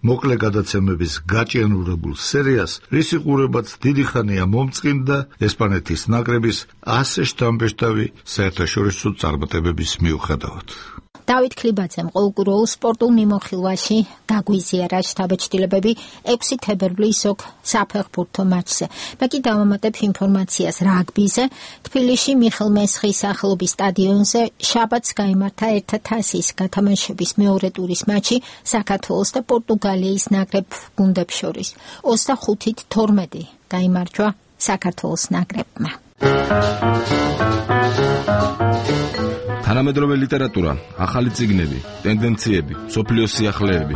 მოკლე გადაცემების გაჭიანურებულ სერიას, რისი ყურებაც დიდი ხანია მომწყინდა ესპანეთის ნაკრების ასე შთამბეჭდავი საერთაშორისო წარმატებების მიუხედავად. დავით ქლიბაძემ ყოველკვირეულ სპორტულ მიმოხილვაში დაგვიზიარა შთაბეჭდილებები ექვსი თებერვლის ოკ საფეხბურთო მატჩზე. მე კი დავამატებ ინფორმაციას რაგბიზე. თბილისში მიხელ მესხის სახელობის სტადიონზე შაბათს გაიმართა ერთა თასის გათამაშების მეორე ტურის მატჩი საქართველოს და პორტუგალიის ნაკრებ გუნდებს შორის. ოცდახუთით თორმეტი გაიმარჯვა საქართველოს ნაკრებმა. თანამედროვე ლიტერატურა, ახალი წიგნები, ტენდენციები, სოფლიოს სიახლეები.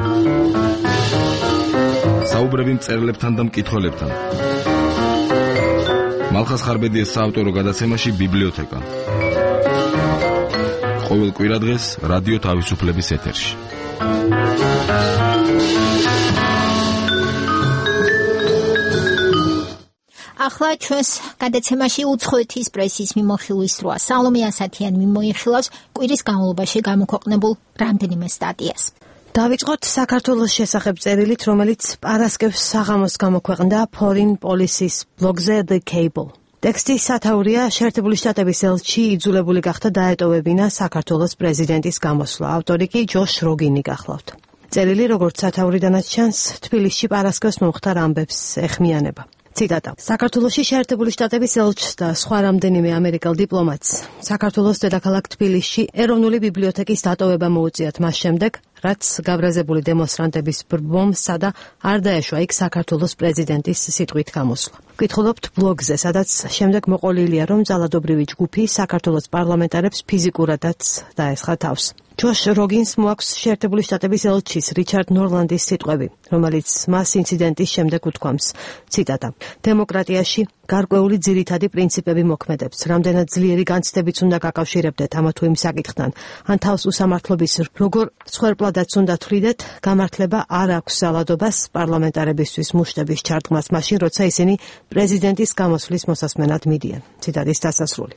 საუბრები მწერლებთან და მკითხველებთან. მალხას ხარბედიას საავტორო გადაცემაში ბიბლიოთეკა. ყოველ კვირადღეს რადიო თავისუფლების ეთერში. ახლა ჩვენს გადაცემაში უცხოეთის პრესის მიმოხილვის დროა. სალომე ასათიანი მიმოიხილავს კვირის განმავლობაში გამოქვეყნებულ რამდენიმე სტატიას. დავიწყოთ საქართველოს შესახებ წერილით, რომელიც პარასკევს საღამოს გამოქვეყნდა Foreign Policy-ს ბლოგზე The Cable. ტექსტის სათაურია შეერთებული შტატების ელჩი იძულებული გახდა დაეტოვებინა საქართველოს პრეზიდენტის გამოსვლა. ავტორი კი ჯოშ როგინი გახლავთ. წერილი, როგორც სათაურიდანაც ჩანს, თბილისში პარასკევს მომხდარ ამბებს ეხმიანება. ციტატა. საქართველოში შეერთებული შტატების ელჩს და სხვა რამდენიმე ამერიკელ დიპლომატს საქართველოს დედაქალაქ თბილისში ეროვნული ბიბლიოთეკის დატოვება მოუწიათ მას შემდეგ, რაც გაბრაზებული დემონსტრანტების ბრბომსა და არ დაეშვა იქ საქართველოს პრეზიდენტის სიტყვით გამოსვლა. ვკითხულობთ ბლოგზე, სადაც შემდეგ მოყოლილია, რომ ძალადობრივი ჯგუფი საქართველოს პარლამენტარებს ფიზიკურადაც დაესხა თავს. ჯოშ როგინს მოაქვს შეერთებული შტატების ელჩის რიჩარდ ნორლანდის სიტყვები, რომელიც მას ინციდენტის შემდეგ უთქვამს. ციტატა. დემოკრატიაში გარკვეული ძირითადი პრინციპები მოქმედებს. რამდენად ძლიერი განცდებიც უნდა გაკავშირებდეთ ამა თუ იმ საკითხთან, ან თავს უსამართლობის როგორ მსხვერპლადაც უნდა თვლიდეთ, გამართლება არ აქვს ძალადობას პარლამენტარებისთვის მუშტების ჩარტყმას მაშინ, როცა ისინი პრეზიდენტის გამოსვლის მოსასმენად მიდიან. ციტატის დასასრული.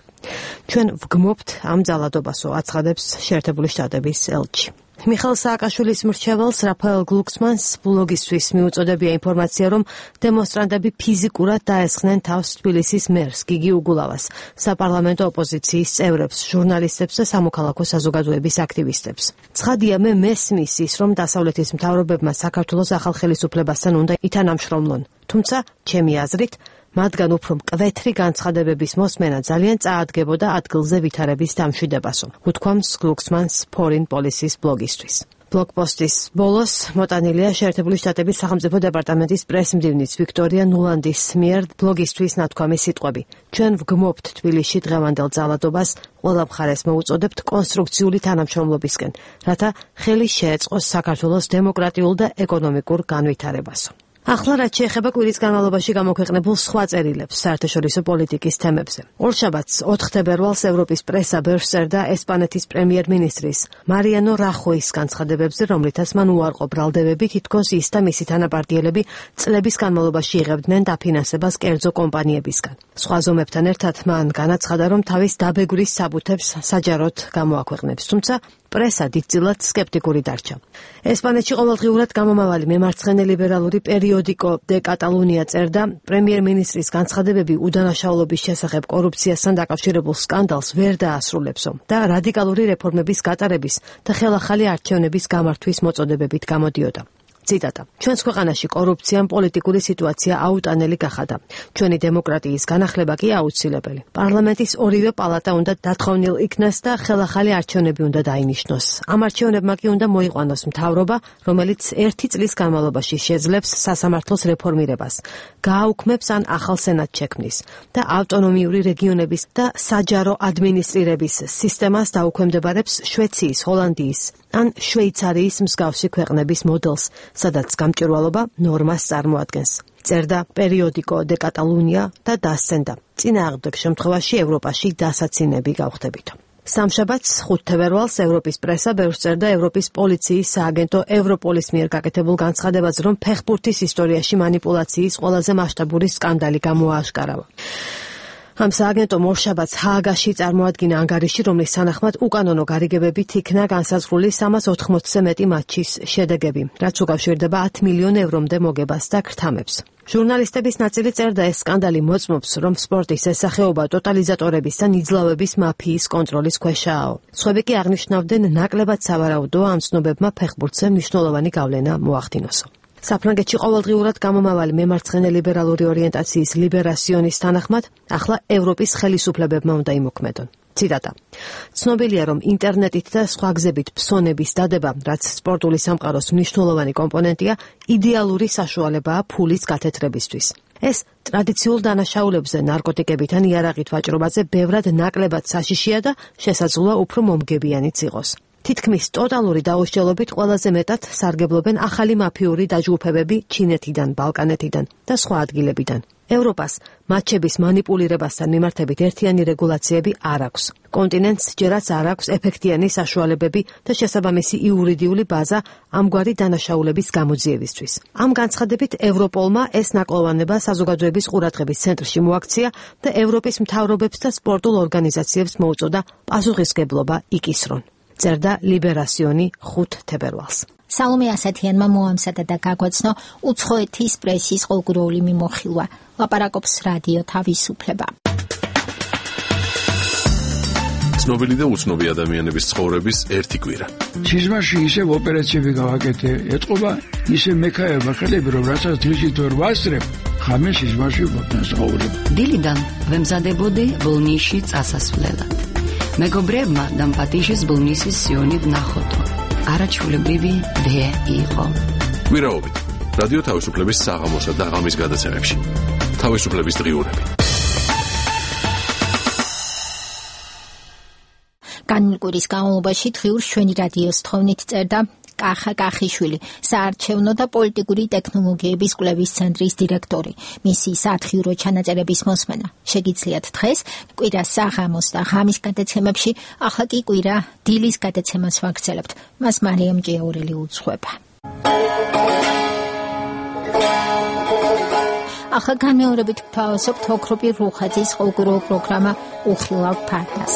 ჩვენ ვგმობთ ამ ძალადობასო, აცხადებს შეერთებული შტატების ელჩი. მიხეილ სააკაშვილის მრჩეველს რაფაელ გლუქსმანს ბლოგისთვის მიუწოდებია ინფორმაცია, რომ დემონსტრანტები ფიზიკურად დაესხნენ თავს თბილისის მერს გიგი უგულავას, საპარლამენტო ოპოზიციის წევრებს, ჟურნალისტებს და სამოქალაქო საზოგადოების აქტივისტებს. ცხადია, მე მესმის ის, რომ დასავლეთის მთავრობებმა საქართველოს ახალ ხელისუფლებასთან უნდა ითანამშრომლონ. თუმცა, ჩემი აზრით, მათგან უფრო მკვეთრი განცხადებების მოსმენა ძალიან წაადგებოდა ადგილზე ვითარების დამშვიდებასო. უთქვამს გლუქსმანს Foreign Policy-ს ბლოგისთვის. ბლოგპოსტის ბოლოს მოტანილია შეერთებული შტატების სახელმწიფო დეპარტამენტის პრესმდივნის ვიქტორია ნულანდის მიერ ბლოგისთვის ნათქვამი სიტყვები. ჩვენ ვგმობთ თბილისში დღევანდელ ძალადობას, ყველა მხარეს მოუწოდებთ კონსტრუქციული თანამშრომლობისკენ, რათა ხელი შეეწყოს საქართველოს დემოკრატიულ და ეკონომიკურ განვითარებასო. ახლა რაც შეეხება კვირის განმავლობაში გამოქვეყნებულ სხვა წერილებს საერთაშორისო პოლიტიკის თემებზე. ორშაბათს ოთხ თებერვალს ევროპის პრესა ბევრს წერდა ესპანეთის პრემიერ-მინისტრის მარიანო რახოის განცხადებებზე, რომლითაც მან უარყო ბრალდებები, თითქოს ის და მისი თანაპარტიელები წლების განმავლობაში იღებდნენ დაფინანსებას კერძო კომპანიებისგან. სხვა ზომებთან ერთად მან განაცხადა, რომ თავის დაბეგვრის საბუთებს საჯაროდ გამოაქვეყნებს, თუმცა პრესა დიდწილად სკეპტიკური დარჩა. ესპანეთში ყოველდღიურად გამომავალი მემარცხენე ლიბერალური პერიოდიკო დე კატალუნია წერდა, პრემიერ-მინისტრის განცხადებები უდანაშაულობის შესახებ კორუფციასთან დაკავშირებულ სკანდალს ვერ დაასრულებსო და რადიკალური რეფორმების გატარების და ხელახალი არჩევნების გამართვის მოწოდებებით გამოდიოდა. ციტატა. ჩვენს ქვეყანაში კორუფციამ პოლიტიკური სიტუაცია აუტანელი გახადა. ჩვენი დემოკრატიის განახლება კი აუცილებელი. პარლამენტის ორივე პალატა უნდა დათხოვნილ იქნას და ხელახალი არჩევნები უნდა დაინიშნოს. ამ არჩევნებმა კი უნდა მოიყვანოს მთავრობა, რომელიც ერთი წლის განმავლობაში შეძლებს სასამართლოს რეფორმირებას, გააუქმებს ან ახალ სენატს შექმნის და ავტონომიური რეგიონების და საჯარო ადმინისტრირების სისტემას დაუქვემდებარებს შვეიცარიის, ჰოლანდიის ან შვეიცარიის მსგავსი ქვეყნების მოდელს, სადაც გამჭვირვალობა ნორმას წარმოადგენს. წერდა პერიოდიკო დე კატალუნია და დასცენდა. წინააღმდეგ შემთხვევაში ევროპაში დასაცინები გავხდებითო. სამშაბათს ხუთ თებერვალს ევროპის პრესა ბევრს წერდა ევროპის პოლიციის სააგენტო ევროპოლის მიერ გაკეთებულ განცხადებაზე, რომ ფეხბურთის ისტორიაში манипуляციის ყველაზე მასშტაბური სკანდალი გამოააშკარავა. ამ სააგენტომ ორშაბათს ჰააგაში წარმოადგინა ანგარიში, რომლის თანახმად უკანონო გარიგებებით იქნა განსაზღვრული სამას ოთხმოცზე მეტი მატჩის შედეგები, რაც უკავშირდება ათ მილიონ ევრომდე მოგებას და ქრთამებს. ჟურნალისტების ნაწილი წერდა, ეს სკანდალი მოწმობს, რომ სპორტის ეს სახეობა ტოტალიზატორების და ნიძლავების მაფიის კონტროლის ქვეშაა. სხვები კი აღნიშნავდნენ, ნაკლებად სავარაუდოა ამ ცნობებმა ფეხბურთზე მნიშვნელოვანი გავლენა მოახდინოსო. საფრანგეთში ყოველდღიურად გამომავალი მემარცხენე ლიბერალური ორიენტაციის ლიბერასიონის თანახმად, ახლა ევროპის ხელისუფლებებმა უნდა იმოქმედონ. ციტატა. ცნობილია, რომ ინტერნეტით და სხვა გზებით ფსონების დადება, რაც სპორტული სამყაროს მნიშვნელოვანი კომპონენტია, იდეალური საშუალებაა ფულის გათეთრებისთვის. ეს ტრადიციულ დანაშაულებზე, ნარკოტიკებით ან იარაღით ვაჭრობაზე ბევრად ნაკლებად საშიშია და შესაძლოა უფრო მომგებიანიც იყოს. თითქმის ტოტალური დაუსჯელობით ყველაზე მეტად სარგებლობენ ახალი მაფიური დაჯგუფებები ჩინეთიდან, ბალკანეთიდან და სხვა ადგილებიდან. ევროპას მატჩების მანიპულირებასთან მიმართებით ერთიანი რეგულაციები არ აქვს. კონტინენტს ჯერაც არ აქვს ეფექტიანი საშუალებები და შესაბამისი იურიდიული ბაზა ამგვარი დანაშაულების გამოძიებისთვის. ამ განცხადებით ევროპოლმა ეს ნაკლოვანება საზოგადოების ყურადღების ცენტრში მოაქცია და ევროპის მთავრობებს და სპორტულ ორგანიზაციებს მოუწოდა პასუხისგებლობა იკისრონ. წერდა ლიბერასიონი ხუთ თებერვალს. სალომე ასათიანმა მოამზადა და გაგვაცნო უცხოეთის პრესის ყოველგვაროვანი მიმოხილვა. ლაპარაკობს რადიო თავისუფლება. ცნობილი და უცნობი ადამიანების ცხოვრების ერთი კვირა. სიზმარში ისევ ოპერაციები გავაკეთე, ეთყობა ისე მექაერმა ხელები, რომ რასაც დღისით ვერ ვასწრებ, ხამე სიზმარში ვაფასაურებ. დილიდან ვემზადებოდი ბოლნისში წასასვლელად. მეგობრებმა დამპატიჟეს ბოლნისის სიონი ვნახოთო. არაჩვეულებრივი დე იყო. კვირაობით რადიო თავისუფლების საღამოსა და ღამის გადაცემებში. თავისუფლების დღიურები. განმულ კვირის განმავლობაში დღიურ ჩვენი რადიოს თხოვნით წერდა კახა კახიშვილი, საარჩევნო და პოლიტიკური ტექნოლოგიების კვლევის ცენტრის დირექტორი. მისი სათხიურო ჩანაწერების მოსმენა შეგიძლიათ დღეს კვირას საღამოს და ღამის გადაცემებში, ახლა კი კვირა დილის გადაცემას ვაგრძელებთ. მას მარიამ ჭიაურელი უძღვება. ახლა განმეორებით ვთავაზობთ ოქროპირ რუხაძის ყოველკვირეულ პროგრამა უხილავ ფართას.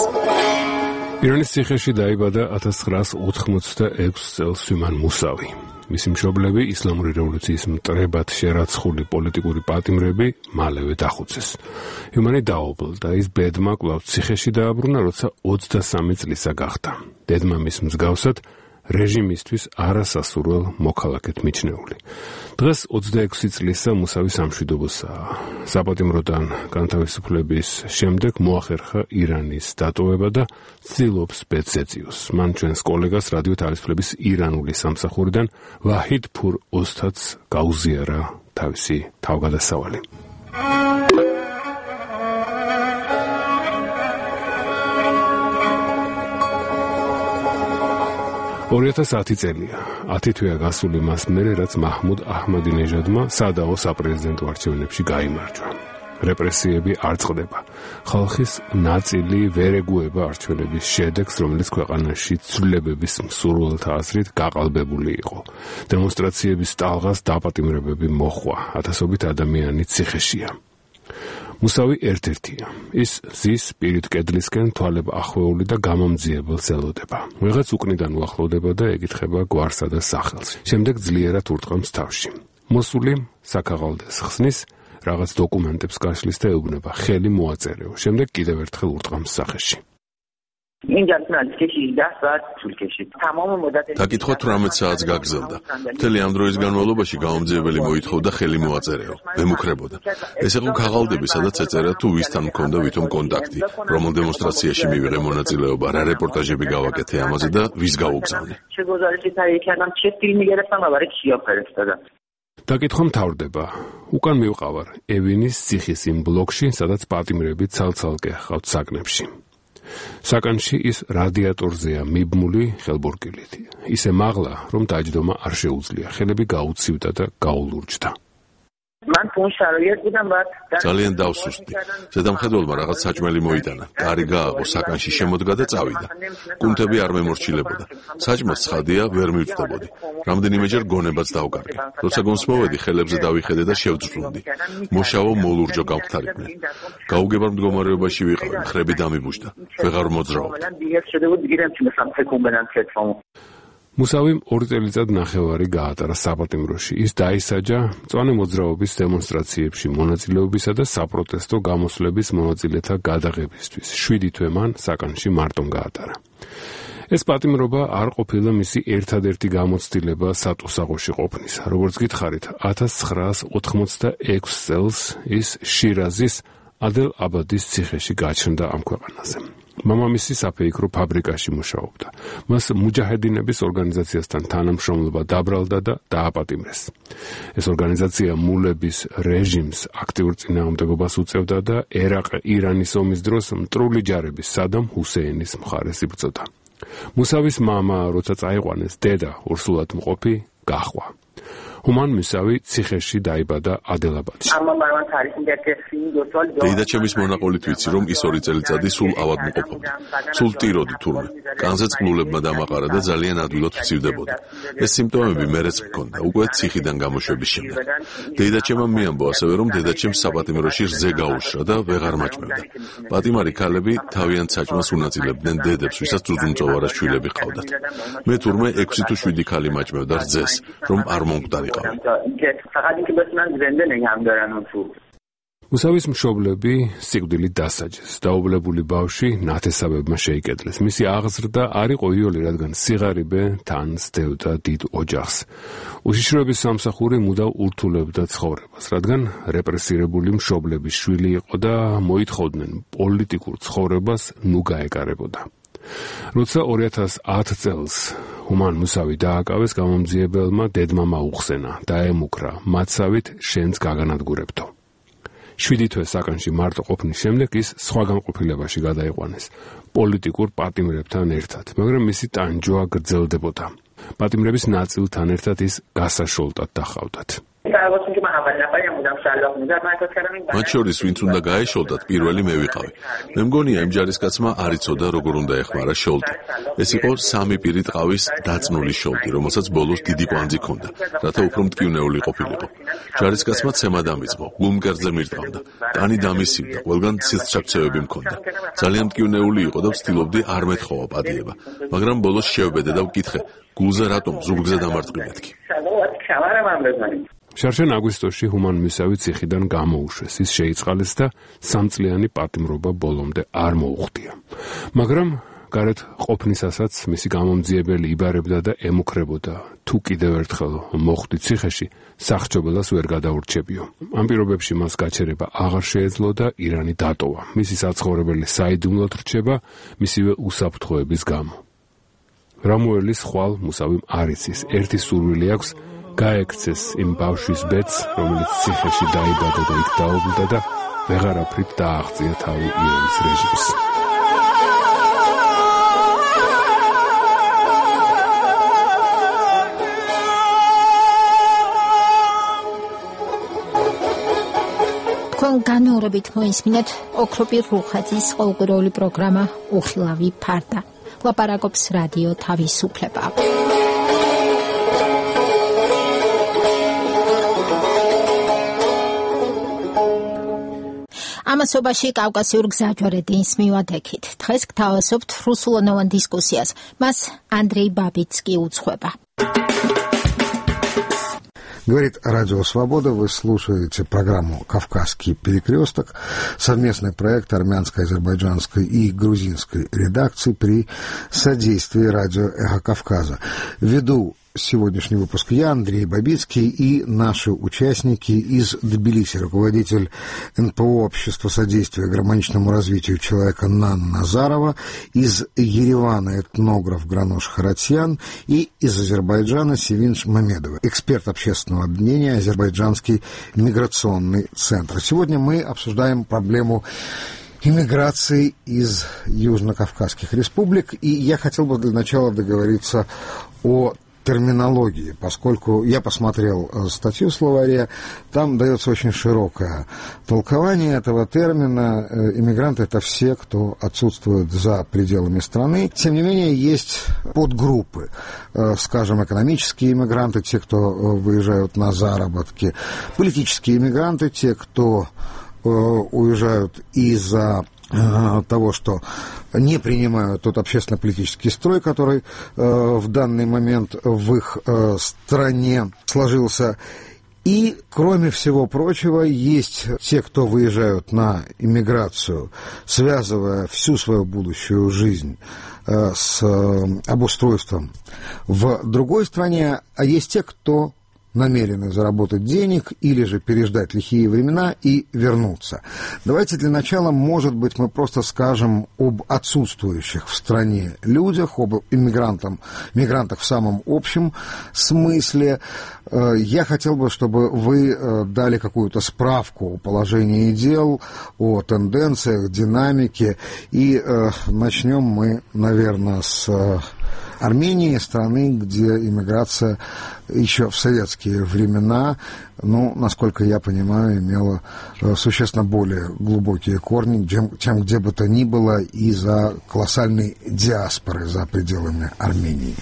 ირანის ციხეში დაიბადა ათას ცხრაას ოთხმოცდაექვსი წელს სვიმან მუსავი. მისი მშობლები ისლამური რევოლუციის მტრებად შერაცხული პოლიტიკური პატიმრები მალევე დახუცეს. სვიმანი დაობლდა, ის ბედმა კვლავ ციხეში დააბრუნა, როცა ოცდასამი წლისა გახდა. დედმამის მსგავსად რეჟიმისთვის არასასურველ მოქალაქედ მიჩნეული. დღეს ოცდაექვსი წლისა მუსავი სამშვიდობოსაა. საპატიმროდან განთავისუფლების შემდეგ მოახერხა ირანის დატოვება და ცდილობს ბედს ეწიოს. მან ჩვენს კოლეგას რადიო თავისუფლების ირანული სამსახურიდან ვაჰიდ ფურ ოსტატს გაუზიარა თავისი თავგადასავალი. ორი ათას ათი წელია. ათი თვეა გასული მას მერე, რაც მაჰმუდ აჰმადინეჟადმა სადაო საპრეზიდენტო არჩევნებში გაიმარჯვა. რეპრესიები არ წყდება. ხალხის ნაწილი ვერ ეგუება არჩევნების შედეგს, რომელიც ქვეყანაში ცვლილებების მსურველთა აზრით გაყალბებული იყო. დემონსტრაციების ტალღას დაპატიმრებები მოჰყვა. ათასობით ადამიანი ციხეშია. მუსავი ერთ-ერთია. ის ზის პირით კედლისკენ თვალებ ახვეული და გამომძიებელს ელოდება. ვიღაც უკნიდან უახლოვდება და ეკითხება გვარსა და სახელს. შემდეგ ძლიერად ურტყამს თავში. მოსული საქაღალდეს ხსნის, რაღაც დოკუმენტებს გაშლის და ეუბნება ხელი მოაწერეო. შემდეგ კიდევ ერთხელ ურტყამს სახეში. დაკითხვა თვრამეტ საათს გაგრძელდა. მთელი ამ დროის განმავლობაში გამომძიებელი მოითხოვდა ხელი მოაწერეო. მემუქრებოდა. ეს იყო ქაღალდები, სადაც ეწერა თუ ვისთან მქონდა ვითომ კონტაქტი, რომელ დემონსტრაციაში მივიღე მონაწილეობა, რა რეპორტაჟები გავაკეთე ამაზე და ვის გავუგზავნე. დაკითხვა მთავრდება. უკან მივყავარ ევინის ციხის იმ ბლოკში, სადაც პატიმრები ცალ-ცალკე ჰყავთ საგნებში. საკანში ის რადიატორზეა მიბმული ხელბურკილით. ისე მაღლა, რომ დაჯდომა არ შეუძლია. ხელები გაუცივდა და გაულურჯდა. ძალიან დავსუსტი. ზედამხედველმა რაღაც საჭმელი მოიტანა. კარი გააღო, საკანში შემოდგა და წავიდა. კუნთები არ მემორჩილებოდა. საჭმელს ცხადია, ვერ მივწდებოდი. რამდენიმეჯერ გონებაც დავკარგე. როცა გონს მოვედი, ხელებზე დავიხედე და შევძრუნდი. მოშავო მოლურჯო გავხთარიდნენ. გაუგებარ მდგომარეობაში ვიყავი, მხრები დამიბუშდა. ვეღარ მოძრაობ. მუსავიმ ორი წელიწად ნახევარი გაატარა საპატიმროში. ის დაისაჯა მწვანე მოძრაობის დემონსტრაციებში მონაწილეობისა და საპროტესტო გამოსვლების მონაწილეთა გადაღებისთვის. შვიდი თვე მან საკანში მარტომ გაატარა. ეს პატიმრობა არ ყოფილა მისი ერთადერთი გამოცდილება სატუსაღოში ყოფნის. როგორც გითხარით, ათას ცხრაას ოთხმოცდაექვსი წელს ის შირაზის ადელ აბადის ციხეში გაჩნდა ამ ქვეყანაზე. მამამისი საფეიქრო ფაბრიკაში მუშაობდა. მას მუჯაჰედინების ორგანიზაციასთან თანამშრომლობა დაბრალდა და დააპატიმრეს. ეს ორგანიზაცია მულების რეჟიმს აქტიურ წინააღმდეგობას უწევდა და ერაყ-ირანის ომის დროს მტრული ჯარების სადამ ჰუსეინის მხარეს იბრძოდა. მუსავის მამა, როცა წაიყვანეს, დედა ურსულად მყოფი გაჰყვა. ჰუმან მუსავი ციხეში დაიბადა ადილაბადში. დედაჩემის მონაყოლით ვიცი, რომ ის ორი წელიწადი სულ ავადმყოფობდა. სულ ტიროდი თურმე. კანზე წყლულებმა დამაყარა და ძალიან ადვილად ვცივდებოდა. ეს სიმპტომები მერეც მქონდა, უკვე ციხიდან გამოშვების შემდეგ. დედაჩემამ მიამბო ასევე, რომ დედაჩემს საპატიმროში რძე გაუშრა და ვეღარ მაჭმევდა. პატიმარი ქალები თავიანთ საჭმელს უნაწილებდნენ დედებს, ვისაც ძუძუმწოვარა შვილები ჰყავდათ. მე თურმე ექვსი თუ შვიდი ქალი მაჭმევდა რძეს, რომ არ მომკვდარიყავ. მუსავის მშობლები სიკვდილით დასაჯეს. დაუბრუნებული ბავშვი ნათესავებმა შეიკედლეს. მისი აღზრდა არ იყო იოლი, რადგან სიღარიბე თან სდევდა დიდ ოჯახს. უშიშროების სამსახური მუდამ ურთულებდა ცხოვრებას, რადგან რეპრესირებული მშობლების შვილი იყო და მოითხოვდნენ პოლიტიკურ ცხოვრებას ნუ გაეკარებოდა. როცა ორი ათას ათ წელს ჰუმან მუსავი დააკავეს, გამომძიებელმა დედმამა უხსენა, დაემუქრა, მათსავით შენც გაგანადგურებთო. შვიდი თვე საკანში მარტო ყოფნის შემდეგ ის სხვა განყოფილებაში გადაიყვანეს, პოლიტიკურ პატიმრებთან ერთად, მაგრამ მისი ტანჯვა გრძელდებოდა. პატიმრების ნაწილთან ერთად ის გასაშოლტად დახავდათ. მათ შორის ვინც უნდა გაეშოლდათ, პირველი მე ვიყავი. მე მგონია იმ ჯარისკაცმა არ იცოდა როგორ უნდა ეხმარა შოლტი. ეს იყო სამი პირი ტყავის დაწნული შოლტი, რომელსაც ბოლოს დიდი კვანძი ჰქონდა, რათა უფრო მტკივნეული ყოფილიყო. ჯარისკაცმა ცემა დამიწყო, გულმკერდზე მირტყავდა, კანი დამისივდა, ყველგან ცილცჩაქცევები მქონდა. ძალიან მტკივნეული იყო და ვცდილობდი არ მეთხოვა პატიება, მაგრამ ბოლოს შევბედე და ვკითხე, გულზე რატომ ზურგზე დამარტყი მეთქი. შარშან აგვისტოში ჰუმან მუსავი ციხიდან გამოუშვეს, ის შეიწყალეს და სამწლიანი პატიმრობა ბოლომდე არ მოუხდია. მაგრამ გარეთ ყოფნისასაც მისი გამომძიებელი იბარებდა და ემუქრებოდა. თუ კიდევ ერთხელ მოხვდი ციხეში, სახჭობელას ვერ გადაურჩებიო. ამ პირობებში მას გაჩერება აღარ შეეძლო და ირანი დატოვა. მისი საცხოვრებელი საიდუმლოდ რჩება მისივე უსაფრთხოების გამო. რამუელის ხვალ მუსავიმ არ იცის, ერთი სურვილი აქვს, გაექცეს იმ ბავშვის ბედს, რომელიც ციხეში დაიბადა და იქ დაობლდა და ვეღარაფრით დააღწია თავი ირანის რეჟიმს. თქვენ განმეორებით მოისმინეთ ოქროპირ რუხაძის ყოველკვირეული პროგრამა უხილავი ფარდა. ლაპარაკობს რადიო თავისუფლება. ამასობაში კავკასიურ გზაჯვარედინს მივადექით. დღეს გთავაზობთ რუსულენოვან დისკუსიას. მას Андрей Бабицкий უძღვება. Говорит Радио Свобода, вы слушаете программу «Кавказский перекресток», совместный проект армянской, азербайджанской и грузинской редакции при содействии радио «Эхо Кавказа». Веду сегодняшний выпуск я, Андрей Бабицкий, и наши участники из Тбилиси, руководитель эн пэ о Общества содействия гармоничному развитию человека Нана Назарова, из Еревана этнограф Гранош Харатьян и из Азербайджана Севинж Мамедова, эксперт общественного объединения «Азербайджанский миграционный центр». Сегодня мы обсуждаем проблему иммиграции из южнокавказских республик, и я хотел бы для начала договориться о терминологии, поскольку я посмотрел статью в словаре, там дается очень широкое толкование этого термина. Иммигранты — это все, кто отсутствует за пределами страны. Тем не менее, есть подгруппы, скажем, экономические иммигранты, те, кто выезжают на заработки, политические иммигранты, те, кто уезжают из-за того, что не принимают тот общественно-политический строй, который э, в данный момент в их э, стране сложился. И, кроме всего прочего, есть те, кто выезжают на иммиграцию, связывая всю свою будущую жизнь э, с э, обустройством в другой стране, а есть те, кто намерены заработать денег или же переждать лихие времена и вернуться. Давайте для начала, может быть, мы просто скажем об отсутствующих в стране людях, об иммигрантах, мигрантах в самом общем смысле. Я хотел бы, чтобы вы дали какую-то справку о положении дел, о тенденциях, динамике. И начнем мы, наверное, с Армении, страны, где иммиграция еще в советские времена, ну, насколько я понимаю, имела существенно более глубокие корни, чем, чем где бы то ни было из-за колоссальной диаспоры за пределами Армении.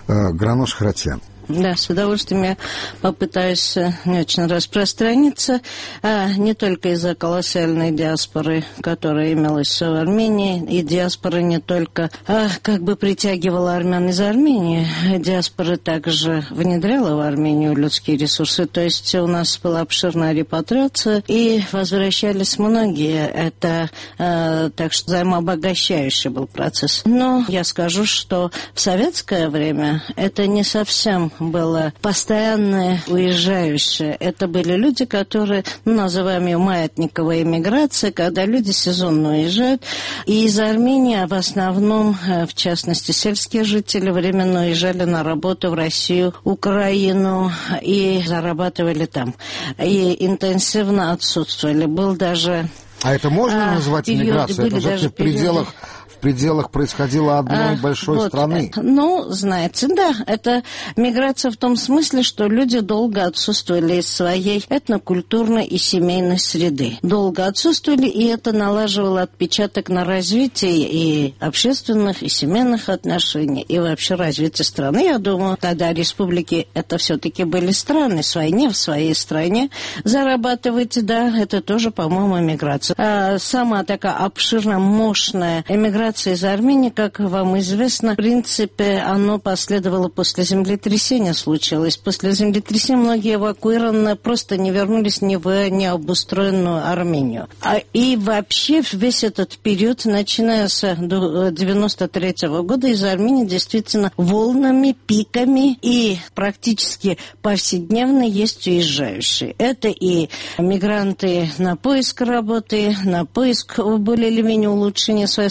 Гранош Харатьян. Да, с удовольствием я попытаюсь не очень распространиться, а не только из-за колоссальной диаспоры, которая имелась в Армении, и диаспора не только а, как бы притягивала армян из Армении, диаспора также внедряла в Армению людские ресурсы, то есть у нас была обширная репатриация, и возвращались многие, это а, так что взаимообогащающий был процесс. Но я скажу, что в советское время это не совсем было постоянное уезжающее. Это были люди, которые, ну, называем ее маятниковая эмиграция, когда люди сезонно уезжают. И из Армении в основном, в частности, сельские жители временно уезжали на работу в Россию, Украину и зарабатывали там. И интенсивно отсутствовали. Был даже... А это можно а, назвать иммиграцией? Это же в пределах... В пределах происходило одной а, большой вот, страны. Ну, знаете, да, это миграция в том смысле, что люди долго отсутствовали из своей этнокультурной и семейной среды. Долго отсутствовали, и это налаживало отпечаток на развитие и общественных, и семейных отношений, и вообще развитие страны. Я думаю, тогда республики это все-таки были страны, свои, не в своей стране. Зарабатывать, да, это тоже, по-моему, миграция. А сама такая обширная, мощная эмиграция из Армении, как вам известно, в принципе, оно последовало после землетрясения, случилось. После землетрясения многие эвакуированные просто не вернулись ни в необустроенную Армению. А и вообще весь этот период, начиная с девяносто третьего года, из Армении действительно волнами, пиками и практически повседневно есть уезжающие. Это и мигранты на поиск работы, на поиск более или менее улучшения своей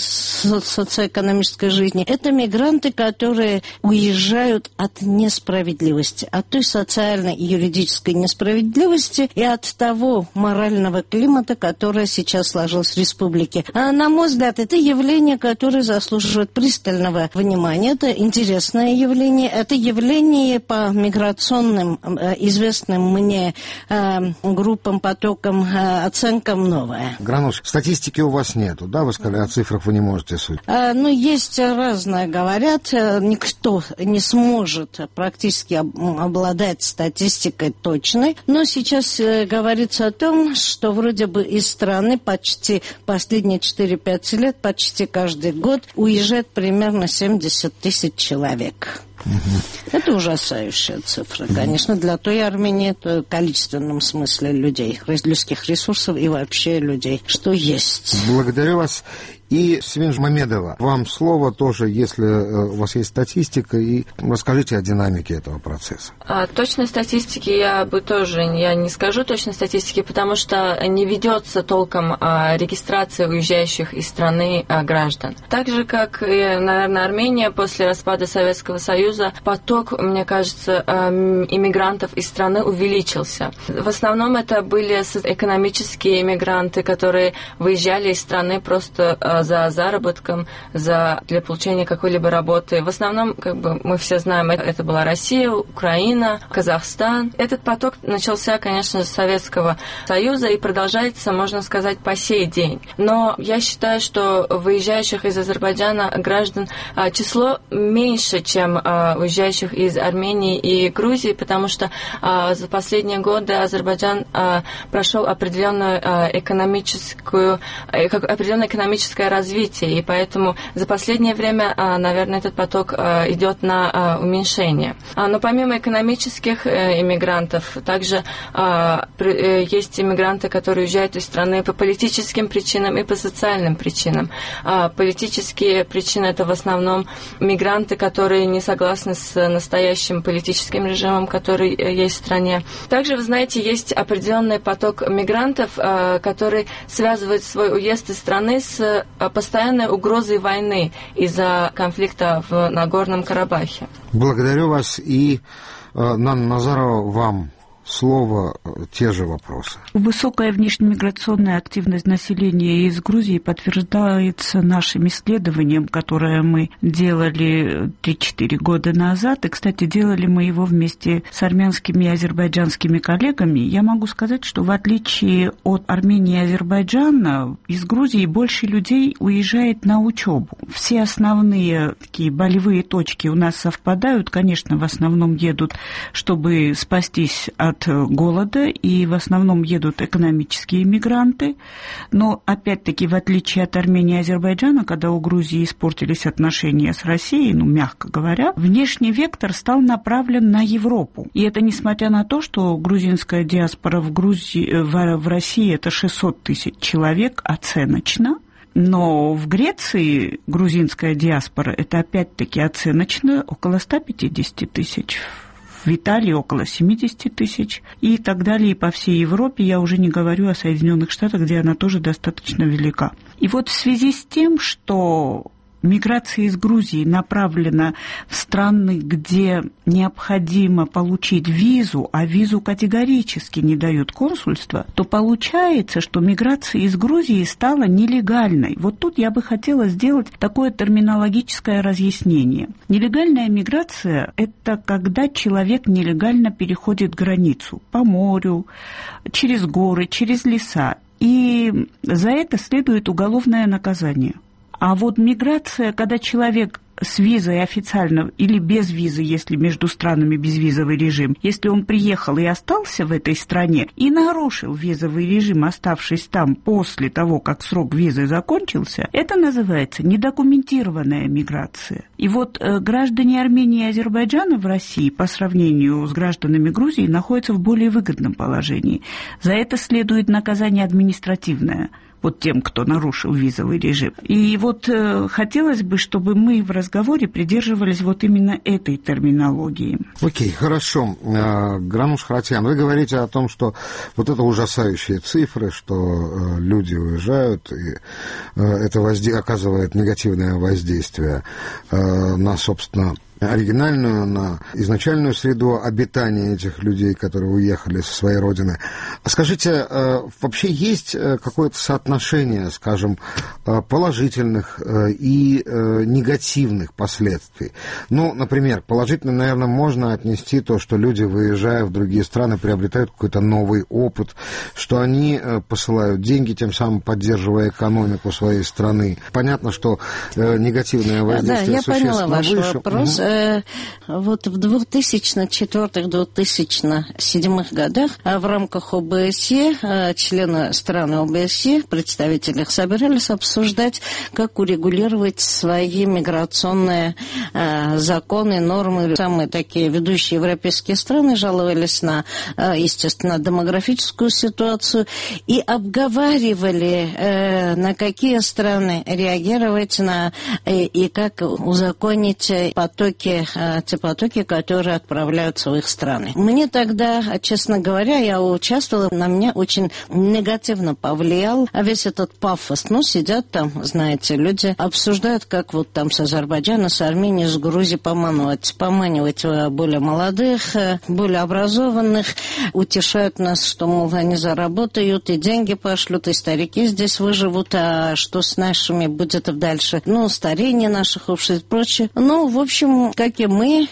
социоэкономической жизни. Это мигранты, которые уезжают от несправедливости, от той социальной и юридической несправедливости и от того морального климата, которое сейчас сложилось в республике. А, на мой взгляд, это явление, которое заслуживает пристального внимания. Это интересное явление. Это явление по миграционным, известным мне группам, потокам, оценкам новое. Гранош, статистики у вас нету, да? Вы сказали, о цифрах вы не можете судить. А, ну, есть разное, говорят. Никто не сможет практически обладать статистикой точной. Но сейчас говорится о том, что вроде бы из страны почти последние четыре-пять лет, почти каждый год уезжает примерно семьдесят тысяч человек. Угу. Это ужасающая цифра, конечно, для той Армении, в количественном смысле людей, людских ресурсов и вообще людей, что есть. Благодарю вас. И, Семен Мамедова, вам слово тоже, если у вас есть статистика, и расскажите о динамике этого процесса. А, точной статистики я бы тоже я не скажу точной статистики, потому что не ведется толком а, регистрация уезжающих из страны а, граждан. Так же, как, и, наверное, Армения после распада Советского Союза, поток, мне кажется, а, иммигрантов из страны увеличился. В основном это были экономические иммигранты, которые выезжали из страны просто а, за заработком, за, для получения какой-либо работы. В основном, как бы мы все знаем, это, это была Россия, Украина, Казахстан. Этот поток начался, конечно, с Советского Союза и продолжается, можно сказать, по сей день. Но я считаю, что выезжающих из Азербайджана граждан а, число меньше, чем а, уезжающих из Армении и Грузии, потому что а, за последние годы Азербайджан а, прошел определенную а, экономическую, а, определенное экономическое развитие, и поэтому за последнее время, наверное, этот поток идет на уменьшение. Но помимо экономических иммигрантов, также есть иммигранты, которые уезжают из страны по политическим причинам и по социальным причинам. Политические причины — это в основном мигранты, которые не согласны согласны с настоящим политическим режимом, который есть в стране. Также, вы знаете, есть определенный поток мигрантов, который связывает свой уезд из страны с постоянной угрозой войны из-за конфликта в Нагорном Карабахе. Благодарю вас, и Нанна Назарова, вам слово, те же вопросы. Высокая внешнемиграционная активность населения из Грузии подтверждается нашим исследованием, которое мы делали три-четыре года назад. И, кстати, делали мы его вместе с армянскими и азербайджанскими коллегами. Я могу сказать, что в отличие от Армении и Азербайджана, из Грузии больше людей уезжает на учебу. Все основные такие болевые точки у нас совпадают. Конечно, в основном едут, чтобы спастись от от голода, и в основном едут экономические мигранты. Но, опять-таки, в отличие от Армении и Азербайджана, когда у Грузии испортились отношения с Россией, ну, мягко говоря, внешний вектор стал направлен на Европу. И это несмотря на то, что грузинская диаспора в, Грузии, в, в России это шестьсот тысяч человек оценочно. Но в Греции грузинская диаспора это опять-таки оценочно около ста пятидесяти тысяч. В Италии около семидесяти тысяч и так далее, и по всей Европе, я уже не говорю о Соединенных Штатах, где она тоже достаточно велика. И вот в связи с тем, что миграция из Грузии направлена в страны, где необходимо получить визу, а визу категорически не дают консульства, то получается, что миграция из Грузии стала нелегальной. Вот тут я бы хотела сделать такое терминологическое разъяснение. Нелегальная миграция – это когда человек нелегально переходит границу по морю, через горы, через леса, и за это следует уголовное наказание. А вот миграция, когда человек с визой официально или без визы, если между странами безвизовый режим, если он приехал и остался в этой стране и нарушил визовый режим, оставшись там после того, как срок визы закончился, это называется недокументированная миграция. И вот э, граждане Армении и Азербайджана в России по сравнению с гражданами Грузии находятся в более выгодном положении. За это следует наказание административное. Вот тем, кто нарушил визовый режим. И вот э, хотелось бы, чтобы мы в разговоре придерживались вот именно этой терминологии. Окей, хорошо. Грануш Харатьян, вы говорите о том, что вот это ужасающие цифры, что э, люди уезжают, и э, это возде... оказывает негативное воздействие э, на, собственно, оригинальную, на изначальную среду обитания этих людей, которые уехали со своей родины. Скажите, вообще есть какое-то соотношение, скажем, положительных и негативных последствий? Ну, например, положительно, наверное, можно отнести то, что люди, выезжая в другие страны, приобретают какой-то новый опыт, что они посылают деньги, тем самым поддерживая экономику своей страны. Понятно, что негативное воздействие да, существенно я поняла ваш выше. Вопрос. Угу. Вот в две тысячи четвёртых — две тысячи седьмых годах в рамках ОБСЕ, члены стран ОБСЕ, представители их собирались обсуждать, как урегулировать свои миграционные законы, нормы. Самые такие ведущие европейские страны жаловались на, естественно, демографическую ситуацию и обговаривали, на какие страны реагировать на, и как узаконить потоки, те потоки, которые отправляются в их страны. Мне тогда, честно говоря, я участвовала, на меня очень негативно повлиял весь этот пафос. Ну, сидят там, знаете, люди обсуждают, как вот там с Азербайджана, с Армении, с Грузией поманивать, поманивать более молодых, более образованных, утешают нас, что, мол, они заработают, и деньги пошлют, и старики здесь выживут, а что с нашими будет дальше? Ну, старение наших обществ и прочее. Ну, в общем, как и мы,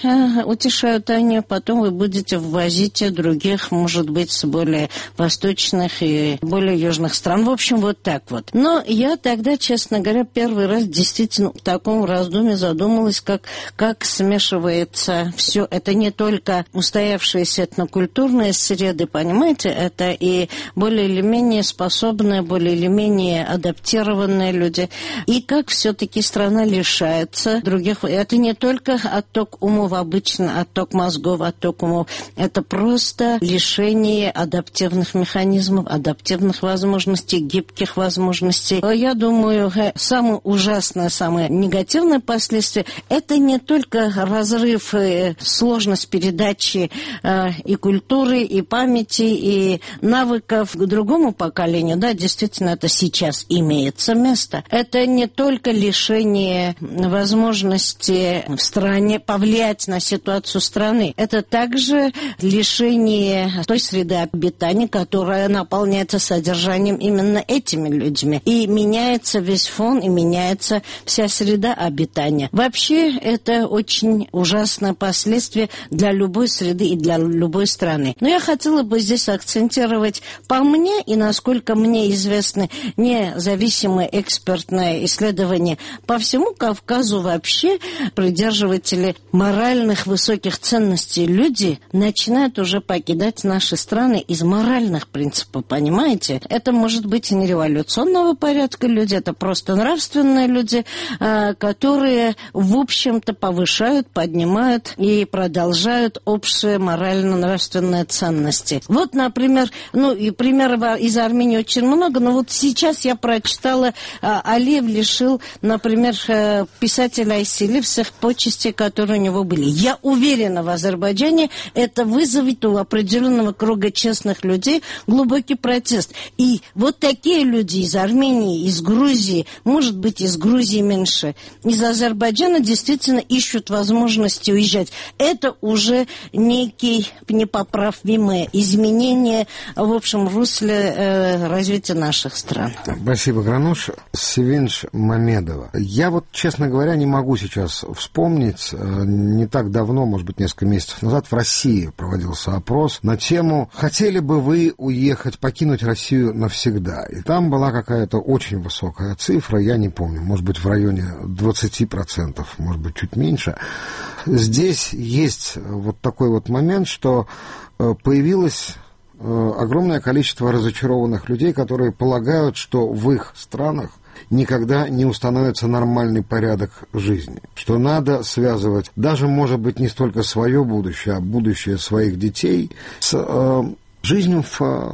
утешают они, потом вы будете ввозить других, может быть, с более восточных и более южных стран. В общем, вот так вот. Но я тогда, честно говоря, первый раз действительно в таком раздумье задумалась, как, как смешивается все. Это не только устоявшиеся этнокультурные среды, понимаете, это и более или менее способные, более или менее адаптированные люди. И как все-таки страна лишается других. Это не только отток умов, обычный отток мозгов, отток умов. Это просто лишение адаптивных механизмов, адаптивных возможностей, гибких возможностей. Я думаю, самое ужасное, самое негативное последствие – это не только разрыв, сложность передачи и культуры, и памяти, и навыков к другому поколению. Да, действительно, это сейчас имеется место. Это не только лишение возможности в стране повлиять на ситуацию страны. Это также лишение той среды обитания, которая наполняется содержанием именно этими людьми. И меняется весь фон, и меняется вся среда обитания. Вообще, это очень ужасное последствие для любой среды и для любой страны. Но я хотела бы здесь акцентировать по мне, и насколько мне известны независимые экспертные исследования по всему Кавказу вообще, придерживатели моральных высоких ценностей люди начинают уже покидать наши страны из моральных принципов, понимаете? Это может быть и не революционного порядка люди, это просто нравственные люди, которые, в общем-то, повышают, поднимают и продолжают общие морально-нравственные ценности. Вот, например, ну и примеров из Армении очень много, но вот сейчас я прочитала, Алиев лишил, например, писателя Айсили всех почестей, которые у него были. Я уверена, в Азербайджане это вызовет у определенного круга честных людей глубокий протест. И вот такие люди из Армении, из Грузии, может быть, из Грузии меньше, из Азербайджана действительно ищут возможности уезжать. Это уже некие непоправимые изменения в общем русле э, развития наших стран. Спасибо, Грануш. Севинч Мамедова. Я вот, честно говоря, не могу сейчас вспомнить. Не так давно, может быть, несколько месяцев назад в России проводился опрос на тему «Хотели бы вы уехать, покинуть Россию навсегда?» И там была какая-то очень высокая цифра, я не помню, может быть, в районе двадцать процентов, может быть, чуть меньше. Здесь есть вот такой вот момент, что появилось огромное количество разочарованных людей, которые полагают, что в их странах никогда не установится нормальный порядок жизни, что надо связывать даже, может быть, не столько свое будущее, а будущее своих детей с э, жизнью в э,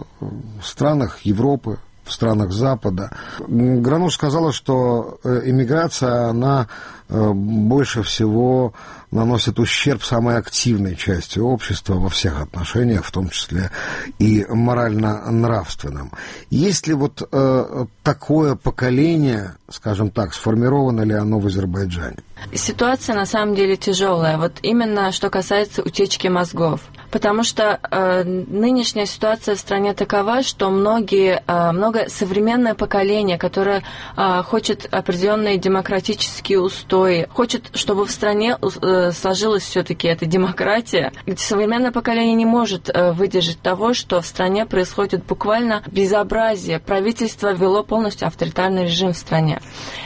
странах Европы, в странах Запада. Грануш сказала, что эмиграция, она больше всего наносит ущерб самой активной части общества во всех отношениях, в том числе и морально-нравственном. Есть ли вот э, такое поколение, скажем так, сформировано ли оно в Азербайджане? Ситуация на самом деле тяжелая, вот именно что касается утечки мозгов. Потому что э, нынешняя ситуация в стране такова, что многие, э, много современное поколение, которое э, хочет определенные демократические устои, хочет, чтобы в стране э, сложилась все-таки эта демократия. Современное поколение не может э, выдержать того, что в стране происходит буквально безобразие. Правительство ввело полностью авторитарный режим в стране.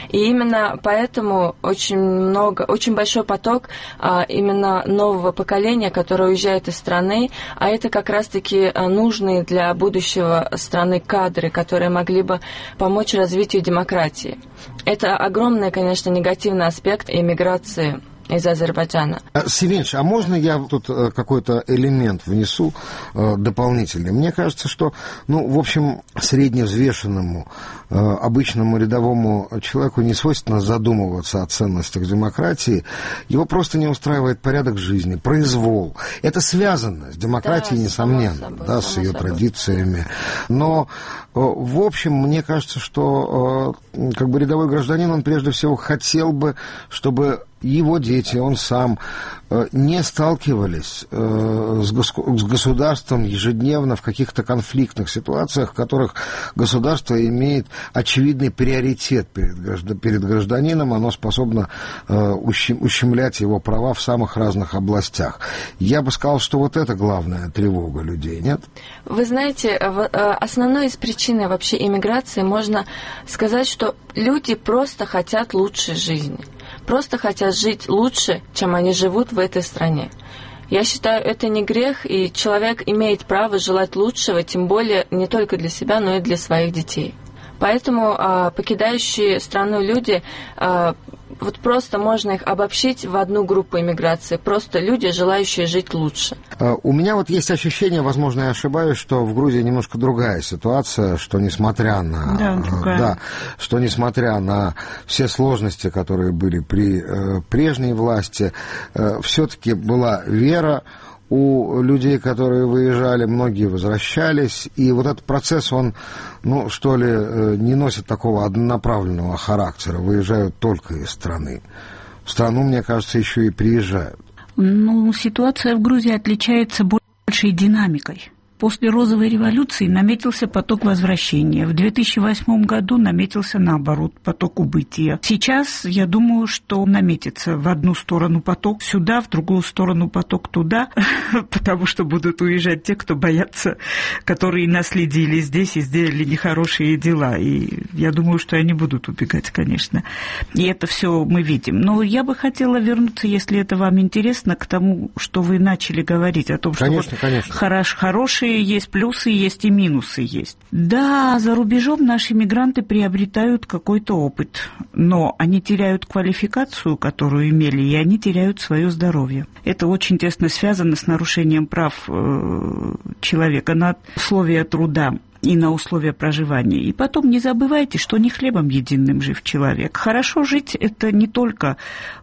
И именно поэтому очень много, очень большой поток э, именно нового поколения, которое уезжает из страны, а это как раз-таки нужные для будущего страны кадры, которые могли бы помочь развитию демократии. Это огромный, конечно, негативный аспект эмиграции из Азербайджана. Севинч, а можно я тут какой-то элемент внесу э, дополнительный? Мне кажется, что, ну, в общем, средневзвешенному, э, обычному рядовому человеку не свойственно задумываться о ценностях демократии. Его просто не устраивает порядок жизни, произвол. Это связано с демократией, да, несомненно, собой, да, с ее собой. Традициями. Но, э, в общем, мне кажется, что э, как бы рядовой гражданин, он прежде всего хотел бы, чтобы его дети, он сам не сталкивались с государством ежедневно в каких-то конфликтных ситуациях, в которых государство имеет очевидный приоритет перед гражданином, оно способно ущемлять его права в самых разных областях. Я бы сказал, что вот это главная тревога людей, нет? Вы знаете, основной из причин вообще иммиграции можно сказать, что люди просто хотят лучшей жизни. Просто хотят жить лучше, чем они живут в этой стране. Я считаю, это не грех, и человек имеет право желать лучшего, тем более не только для себя, но и для своих детей. Поэтому а, покидающие страну люди а, вот просто можно их обобщить в одну группу иммиграции. Просто люди, желающие жить лучше. У меня вот есть ощущение, возможно, я ошибаюсь, что в Грузии немножко другая ситуация, что несмотря на... Да, другая. Да, что несмотря на все сложности, которые были при э, прежней власти, э, все-таки была вера у людей, которые выезжали, многие возвращались, и вот этот процесс, он, ну, что ли, не носит такого однонаправленного характера, выезжают только из страны. В страну, мне кажется, еще и приезжают. Ну, ситуация в Грузии отличается большей динамикой. После розовой революции наметился поток возвращения. В две тысячи восьмом году наметился, наоборот, поток убытия. Сейчас, я думаю, что наметится в одну сторону поток сюда, в другую сторону поток туда, потому что будут уезжать те, кто боятся, которые наследили здесь и сделали нехорошие дела. И я думаю, что они будут убегать, конечно. И это все мы видим. Но я бы хотела вернуться, если это вам интересно, к тому, что вы начали говорить, о том, что конечно, вот конечно. Хорош, хорошие есть плюсы, есть и минусы есть. Да, за рубежом наши мигранты приобретают какой-то опыт, но они теряют квалификацию, которую имели, и они теряют свое здоровье. Это очень тесно связано с нарушением прав э, человека на условия труда и на условия проживания. И потом не забывайте, что не хлебом единым жив человек. Хорошо жить – это не только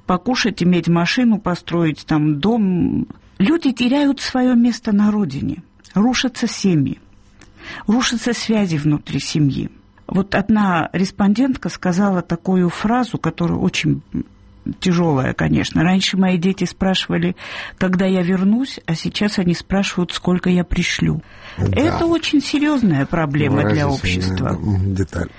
покушать, иметь машину, построить там дом. Люди теряют свое место на родине. Рушатся семьи, рушатся связи внутри семьи. Вот одна респондентка сказала такую фразу, которая очень тяжелая, конечно. Раньше мои дети спрашивали, когда я вернусь, а сейчас они спрашивают, сколько я пришлю. Да. Это очень серьезная проблема для общества. Деталь.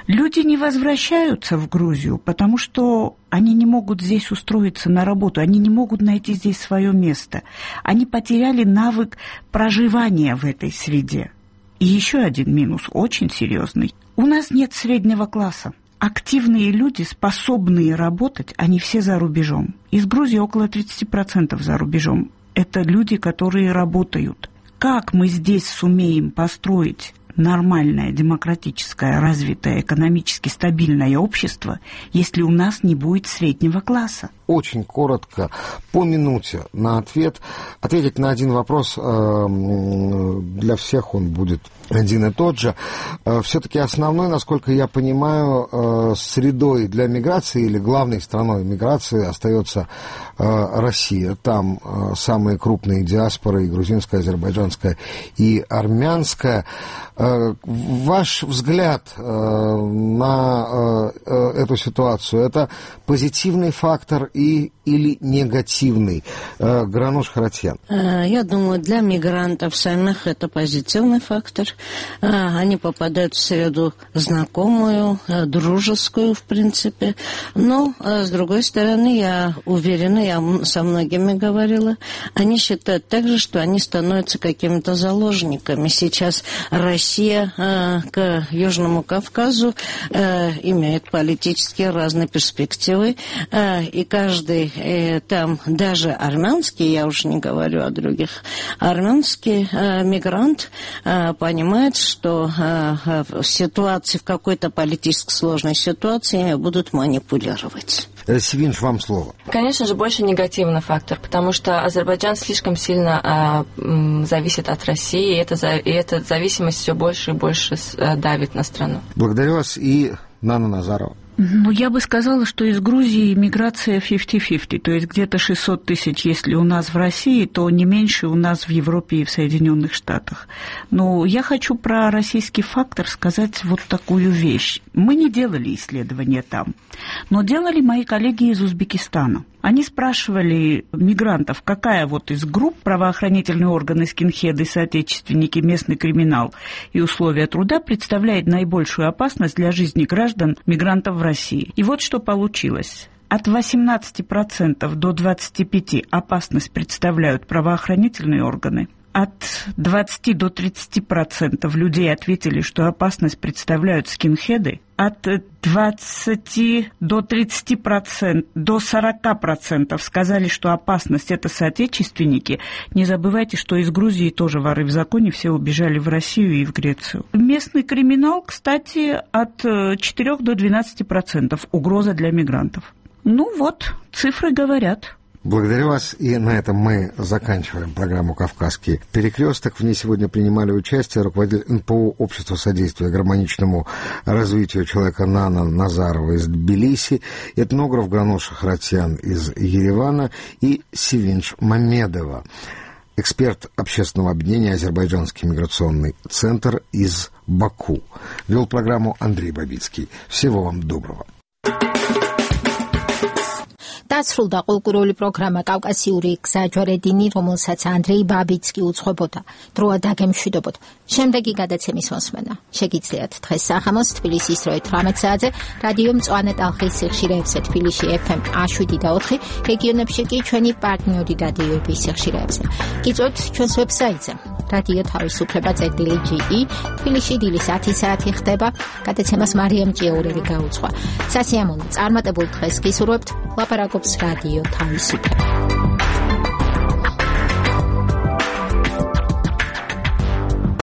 Люди не возвращаются в Грузию, потому что они не могут здесь устроиться на работу, они не могут найти здесь свое место. Они потеряли навык проживания в этой среде. И еще один минус, очень серьезный. У нас нет среднего класса. Активные люди, способные работать, они все за рубежом. Из Грузии около тридцать процентов за рубежом. Это люди, которые работают. Как мы здесь сумеем построить нормальное, демократическое, развитое, экономически стабильное общество, если у нас не будет среднего класса? Очень коротко, по минуте на ответ. Ответить на один вопрос, для всех он будет один и тот же. Все-таки основной, насколько я понимаю, средой для миграции или главной страной миграции остается Россия. Там самые крупные диаспоры, и грузинская, азербайджанская, и армянская. Ваш взгляд на эту ситуацию, это позитивный фактор и, или негативный? Грануш Харатьян. Я думаю, для мигрантов самих это позитивный фактор. Они попадают в среду знакомую, дружескую, в принципе. Но, с другой стороны, я уверена, я со многими говорила, они считают также, что они становятся какими-то заложниками. Сейчас Россия к Южному Кавказу имеет политические разные перспективы, и каждый там, даже армянский, я уже не говорю о других, армянский мигрант понимает, что в ситуации, в какой-то политически сложной ситуации будут манипулировать. Севинч, вам слово. Конечно же, больше негативный фактор, потому что Азербайджан слишком сильно а, м, зависит от России, и, это, и эта зависимость все больше и больше а, давит на страну. Благодарю вас. И Нана Назарова. Ну, я бы сказала, что из Грузии миграция пятьдесят на пятьдесят, то есть где-то шестьсот тысяч, если у нас в России, то не меньше у нас в Европе и в Соединенных Штатах. Но я хочу про российский фактор сказать вот такую вещь. Мы не делали исследования там, но делали мои коллеги из Узбекистана. Они спрашивали мигрантов, какая вот из групп правоохранительные органы, скинхеды, соотечественники, местный криминал и условия труда представляет наибольшую опасность для жизни граждан мигрантов в России. И вот что получилось. От восемнадцати процентов до двадцати пяти процентов опасность представляют правоохранительные органы. От двадцати до тридцати процентов людей ответили, что опасность представляют скинхеды. От двадцати до тридцати процентов, до сорока процентов сказали, что опасность – это соотечественники. Не забывайте, что из Грузии тоже воры в законе, все убежали в Россию и в Грецию. Местный криминал, кстати, от четырёх до двенадцати процентов угроза для мигрантов. Ну вот, цифры говорят. Благодарю вас. И на этом мы заканчиваем программу «Кавказский перекресток». В ней сегодня принимали участие руководитель эн пэ о «Общество содействия гармоничному развитию человека» Нана Назарова из Тбилиси, этнограф Ганоша Харатьян из Еревана и Севинч Мамедова, эксперт общественного объединения «Азербайджанский миграционный центр» из Баку. Вел программу Андрей Бабицкий. Всего вам доброго. დასრულდა კულტურული პროგრამა კავკასიური გზაჯვარედინი, რომელსაც ანდრეი ბაბიცკი უძღვებოდა. დროა დაგემშვიდობოთ. შემდეგი გადაცემის მოსმენა შეგიძლიათ დღეს საღამოს თბილისის დროით თვრამეტ საათზე რადიო მწვანე ტალღის სიხშირეებზე თბილისში ეფ ემ შვიდ და ოთხი, რეგიონებში კი ჩვენი პარტნიორი რადიოების სიხშირეებზე. გიწვევთ ჩვენს ვებსაიტზე რადიო თავისუფლება წერტილი ჯი ი. თბილისში დილის ათი საათი ხდება. გადაცემას მარიამ ჭიაურელი გაუძღვა. სასიამოვნო წარმატებულ დღეს გისურვებთ. ლაპარაკობს რადიო თავისუფლება.